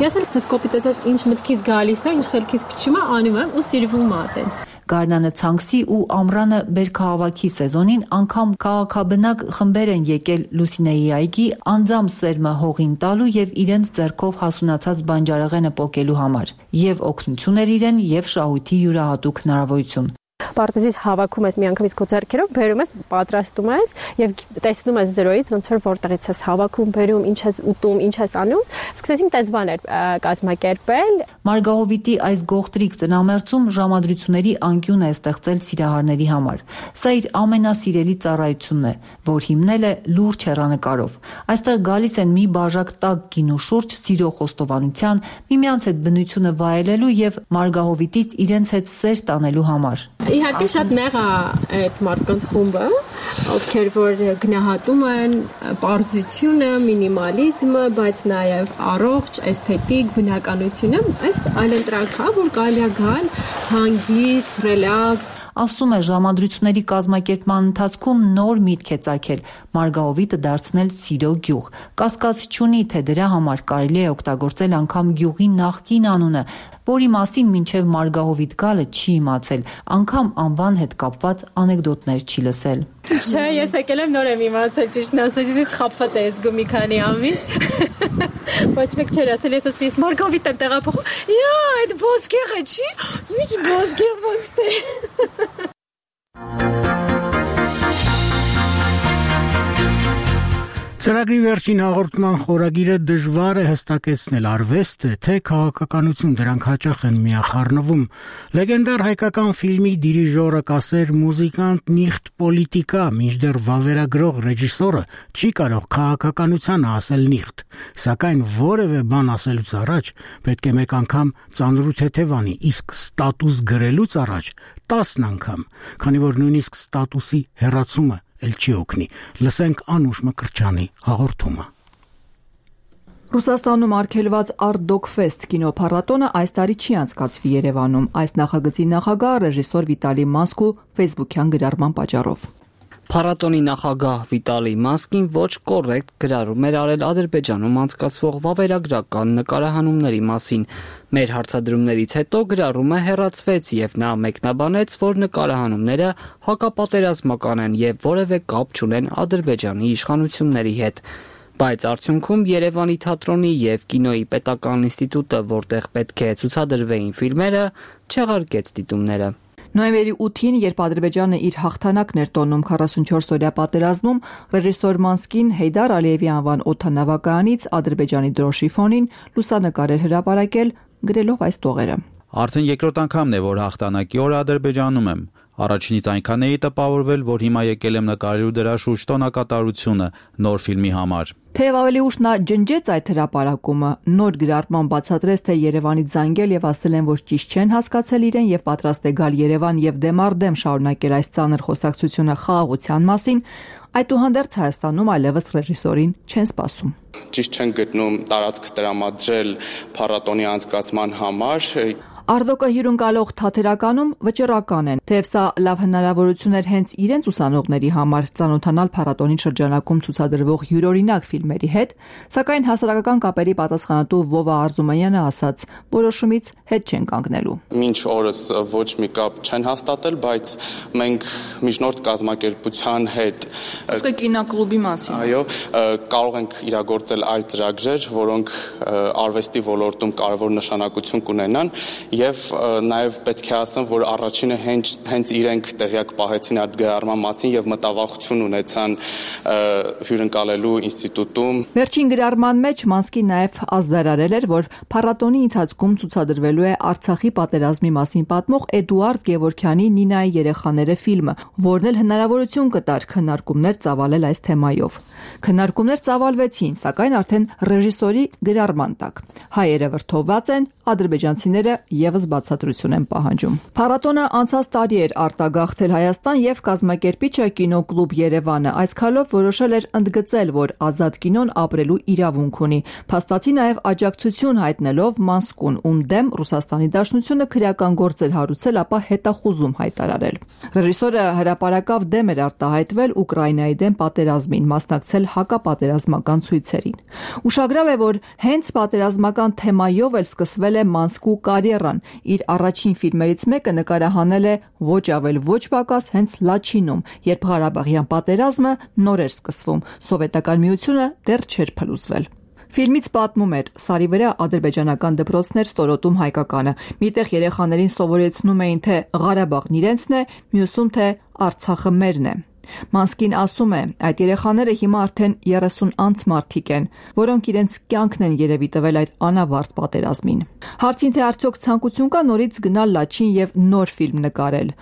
D: Ես էլ ցես կոպիտ ասած ինչ մտքից գալիս է, ինչ խելքից փչում է, անում եմ ու սիրվում է այդպես։
U: Գարնանը ցանքսի ու ամռանը բերքահավաքի սեզոնին անգամ քաղաքաբնակ խմբեր են եկել Լուսինեի այգի անձամբ սերմը հողին տալու եւ իրենց ձեռքով հասունացած բանջարեղենը պոկելու համար եւ օգնություն էր իրեն եւ շահույթի յուրահատուկ հնարավորություն։
D: Պարտեզից հավաքում ես միանգամից քո ձեռքերով, բերում ես, պատրաստում ես եւ տեսնում ես զրոյից ոնց որ որտեղից ես հավաքում, բերում, ինչ ես ուտում, ինչ ես անում։ Սկսեցինք տես բաներ կազմակերպել։
U: Մարգահովիտի այս գողտրիկ տնամերձում ժամադրությունների անկյուն է ստեղծել սիրահարների համար։ Սա իր ամենասիրելի ծառայությունն է, որ հիմնել է լուրջ հեռանկարով։ Այստեղ գալիս են մի բաժակ տաք գինու շուրջ սիրո խոստովանության, միմյանց հետ բնությունը վայելելու եւ Մարգահովիտից իրենց հետ սեր տանելու համար։
D: Իհարկե շատ նեղ է այդ մարդկանց խումբը, ովքեր որ գնահատում են պարզությունը, մինիմալիզմը, բայց նաև առողջ, էսթետիկ բնականությունը, այս այլընտրանք է, որ կարելի է գալ հանգիստ, ռելաքս։
U: Ասում է ժամադրությունների կազմակերպման ընթացքում նոր միտք է ծագել Մարգահովիտը դարձնել սիրո գյուղ։ Կասկած չունի, թե դրա համար կարելի է օգտագործել անգամ գյուղի նախկին անունը,
E: որի մասին մինչև Մարգահովիտ գալը չի իմացել, անգամ անվան հետ կապված անեկդոտներ չի լսել։
D: Չէ, ես եկել եմ նոր եմ իմացել, ճիշտն ասած, ես խաբված եմ զգում մի քանի ամիս։ Ոչ մեկ չէր ասել, ես ասես Մարգահովիտ եմ տեղափոխում։ Յա, այդ ոսկեղը չի, ինչ ոսկեղ ոնց թե։
A: Ծրագրի վերջին հաղորդման խորագիրը դժվար է հստակեցնել արվեստ է, թե քաղաքականություն, դրանք հաճախ են միախառնվում։ Լեգենդար հայկական ֆիլմի դիրիժորը կասեր մուզիկանտ նիխտ պոլիտիկա, մինչդեռ վավերագրող ռեժիսորը չի կարող քաղաքականությանը ասել նիխտ, սակայն որևէ բան ասելուց առաջ պետք է մեկ անգամ ծանրու թեթևանի, իսկ ստատուս գրելուց առաջ 10 անգամ, քանի որ նույնիսկ ստատուսի հեռացումը էլ չի օգնի։ Լսենք Անուշ Մկրտչյանի հաղորդումը։
F: Ռուսաստանում արգելված Art Dog Fest կինոփառատոնը այս տարի չի անցկացվի Երևանում, այս նախագծի նախագահ ռեժիսոր Վիտալի Մասկու Facebook-յան գրառման պատճառով։
O: Փառատոնի նախագահ Վիտալի Մասկին ոչ կոռեկտ գրառում էր արել Ադրբեջանում անցկացվող վավերագրական նկարահանումների մասին։ Մեր հարցադրումներից հետո գրառումը հեռացվեց եւ նա մեկնաբանեց, որ նկարահանումները հակապատերազմական են եւ որևէ կապ չունեն Ադրբեջանի իշխանությունների հետ։ Բայց արդյունքում Երևանի թատրոնի եւ կինոյի պետական ինստիտուտը, որտեղ պետք է ցուցադրվեին ֆիլմերը, չեղարկեց դիտումները։
F: Նոյեմբերի 8-ին, երբ Ադրբեջանը իր հաղթանակն էր տոնում 44-օրյա պատերազմում, ռեժիսոր Մանսկին Հեյդար Ալիևի անվան օդանավակայանից Ադրբեջանի դրոշի ֆոնին լուսանկար էր հրապարակել, գրելով այս տողերը.
G: Արդեն երկրորդ անգամն է, որ հաղթանակի օրը Ադրբեջանում եմ։ Առաջինից այնքան էի տպավորվել, որ հիմա եկել եմ նկարելու դրա շուրջ տոնակատարությունը նոր ֆիլմի համար։
F: Թեև ավելի ուշ նա ջնջեց այդ հրապարակումը, նոր գրառման բացատրեց, թե Երևանից զանգել եւ ասել են, որ ճիշտ չեն հասկացել իրեն եւ պատրաստ է գալ Երևան եւ դեմարդեմ շարունակել այս ծանր խոսակցությունը խաղաղության մասին, այդուհանդերձ Հայաստանում այլևս ռեժիսորին չեն սպասում։
H: Ճիշտ չեն գտնում տարածք տրամադրել փառատոնի անցկացման համար։
F: Արդոկը հյուրընկալող թատերականում վճռական են, թեև սա լավ հնարավորություն էր հենց իրենց ուսանողների համար ծանոթանալ փառատոնի շրջանակում ցուցադրվող յուրօրինակ ֆիլմերի հետ, սակայն հասարակական կապերի պատասխանատու Վովա Արզումանյանը ասաց, որոշումից հետ չեն կանգնելու։
H: Մինչ օրս ոչ մի կապ չեն հաստատել, բայց մենք միջնորդ կազմակերպության հետ
F: կինոկլուբի մասին,
H: այո, կարող ենք իրագործել այլ ծրագրեր, որոնք արվեստի ոլորտում կարևոր նշանակություն կունենան։ Եվ նաև պետք է ասեմ, որ առաջինը հենց իրենք տեղյակ պահեցին այդ գրառման մասին եւ մտավախություն ունեցան հյուրընկալելու ինստիտուտում։
F: Վերջին գրառման մեջ Մանսկին նաև ազդարարել էր, որ փառատոնի ընթացքում ցուցադրվելու է Արցախի պատերազմի մասին պատմող Էդուարդ Գևորգյանի Նինայի երեխաները ֆիլմը, որն էլ հնարավորություն կտար քննարկումներ ծավալել այս թեմայով։ Քննարկումներ ծավալվեցին, սակայն արդեն ռեժիսորի գրառման տակ։ Հայերը վրդովված են, ադրբեջանցիները եւս բացատրություն են պահանջում։ Փառատոնը անցած տարի էր արտագաղթել Հայաստան եւ կազմակերպիչը կինոկլուբ Երևանը այս քայլով որոշել էր ընդգծել, որ ազատ կինոն ապրելու իրավունք ունի։ Փաստացի նաեւ աջակցություն հայտնելով Մանսկուն, ում դեմ Ռուսաստանի Դաշնությունը քրեական գործեր հարուցել, ապա հետախուզում հայտարարել։ Ռեժիսորը հրապարակավ դեմ էր արտահայտվել Ուկրաինայի դեմ պատերազմին, մասնակցել հակապատերազմական ցույցերին։ Ուշագրավ է, որ հենց պատերազմական թեմայով էլ սկսվել է Մանսկու կարիերան։ Իր առաջին ֆիլմերից մեկը նկարահանել է ոչ ավել ոչ պակաս հենց Լաչինում, երբ Ղարաբաղյան պատերազմը նոր էր սկսվում, Սովետական միությունը դեռ չէր փլուզվել։ Ֆիլմից պատմում էր Սարի վրա ադրբեջանական դպրոցներ ստորոտում հայկականը։ Միտեղ երեխաներին սովորեցնում էին, թե Ղարաբաղն իրենցն է, մյուսում թե Արցախը մերն է։ Մանսկին ասում է, այդ երեխաները հիմա արդեն 30 անց մարդիկ են, որոնք իրենց կյանքն են երևի տվել այդ անավարտ պատերազմին։ Հարցին թե արդյոք ցանկություն կա նորից գնալ Լաչին եւ նոր ֆիլմ նկարել,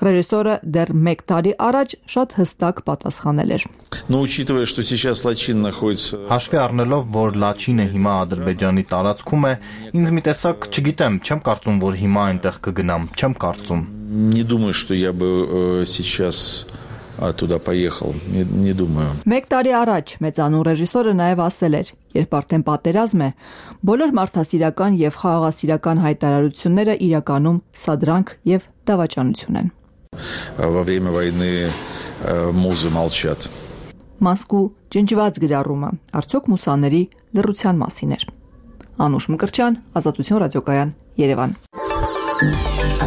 F: ռեժիսորը դեռ 1 տարի առաջ շատ հստակ պատասխանել էր։
J: Учитывая, что сейчас Лачин находится
K: Հաշվի առնելով, որ Լաչինը հիմա Ադրբեջանի տարածքում է, ինձ մի տեսակ, չգիտեմ, չեմ կարծում, որ հիմա այնտեղ կգնամ, չեմ կարծում։
J: Не думаю, что я бы сейчас туда поехал, не думаю։
F: 1 տարի առաջ մեծանուն ռեժիսորը նաև ասել էր, երբ արդեն պատերազմ է, բոլոր մարդասիրական եւ խաղաղասիրական հայտարարությունները իրականում սադրանք եւ դավաճանություն են։
J: Во время войны музы молчат։
F: Մասկու ջնջված գրառումը արդյոք մուսաների լռության մասին էր։ Անուշ Մկրտչյան, Ազատություն ռադիոկայան, Երևան։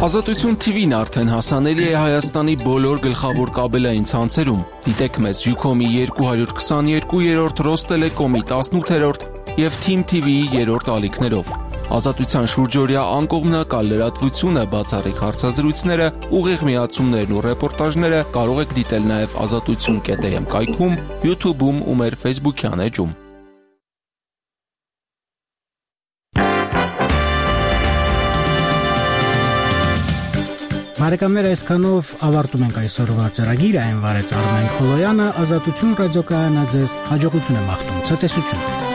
L: Ազատություն TV-ն արդեն հասանելի է Հայաստանի բոլոր գլխավոր կաբելային ցանցերում։ Դիտեք մեզ Ucom-ի 222-րդ, Ռոստելեկոմի 18-րդ եւ Team TV-ի 3-րդ ալիքներով։ Ազատության շուրջօրյա անկողմնակալ լրատվությունը, բացառիկ հարցազրույցները, ուղիղ միացումներն ու ռեպորտաժները կարող եք դիտել նաև azatutsun.am կայքում, YouTube-ում ու մեր Facebook-յան էջում։
A: Բարեկամներ, այսքանով ավարտում ենք այսօրվա ծրագիրը, այն վարեց Արմեն Խոլոյանը, Ազատություն ռադիոկայանը ձեզ հաջողություն է մաղթում, ցտեսություն։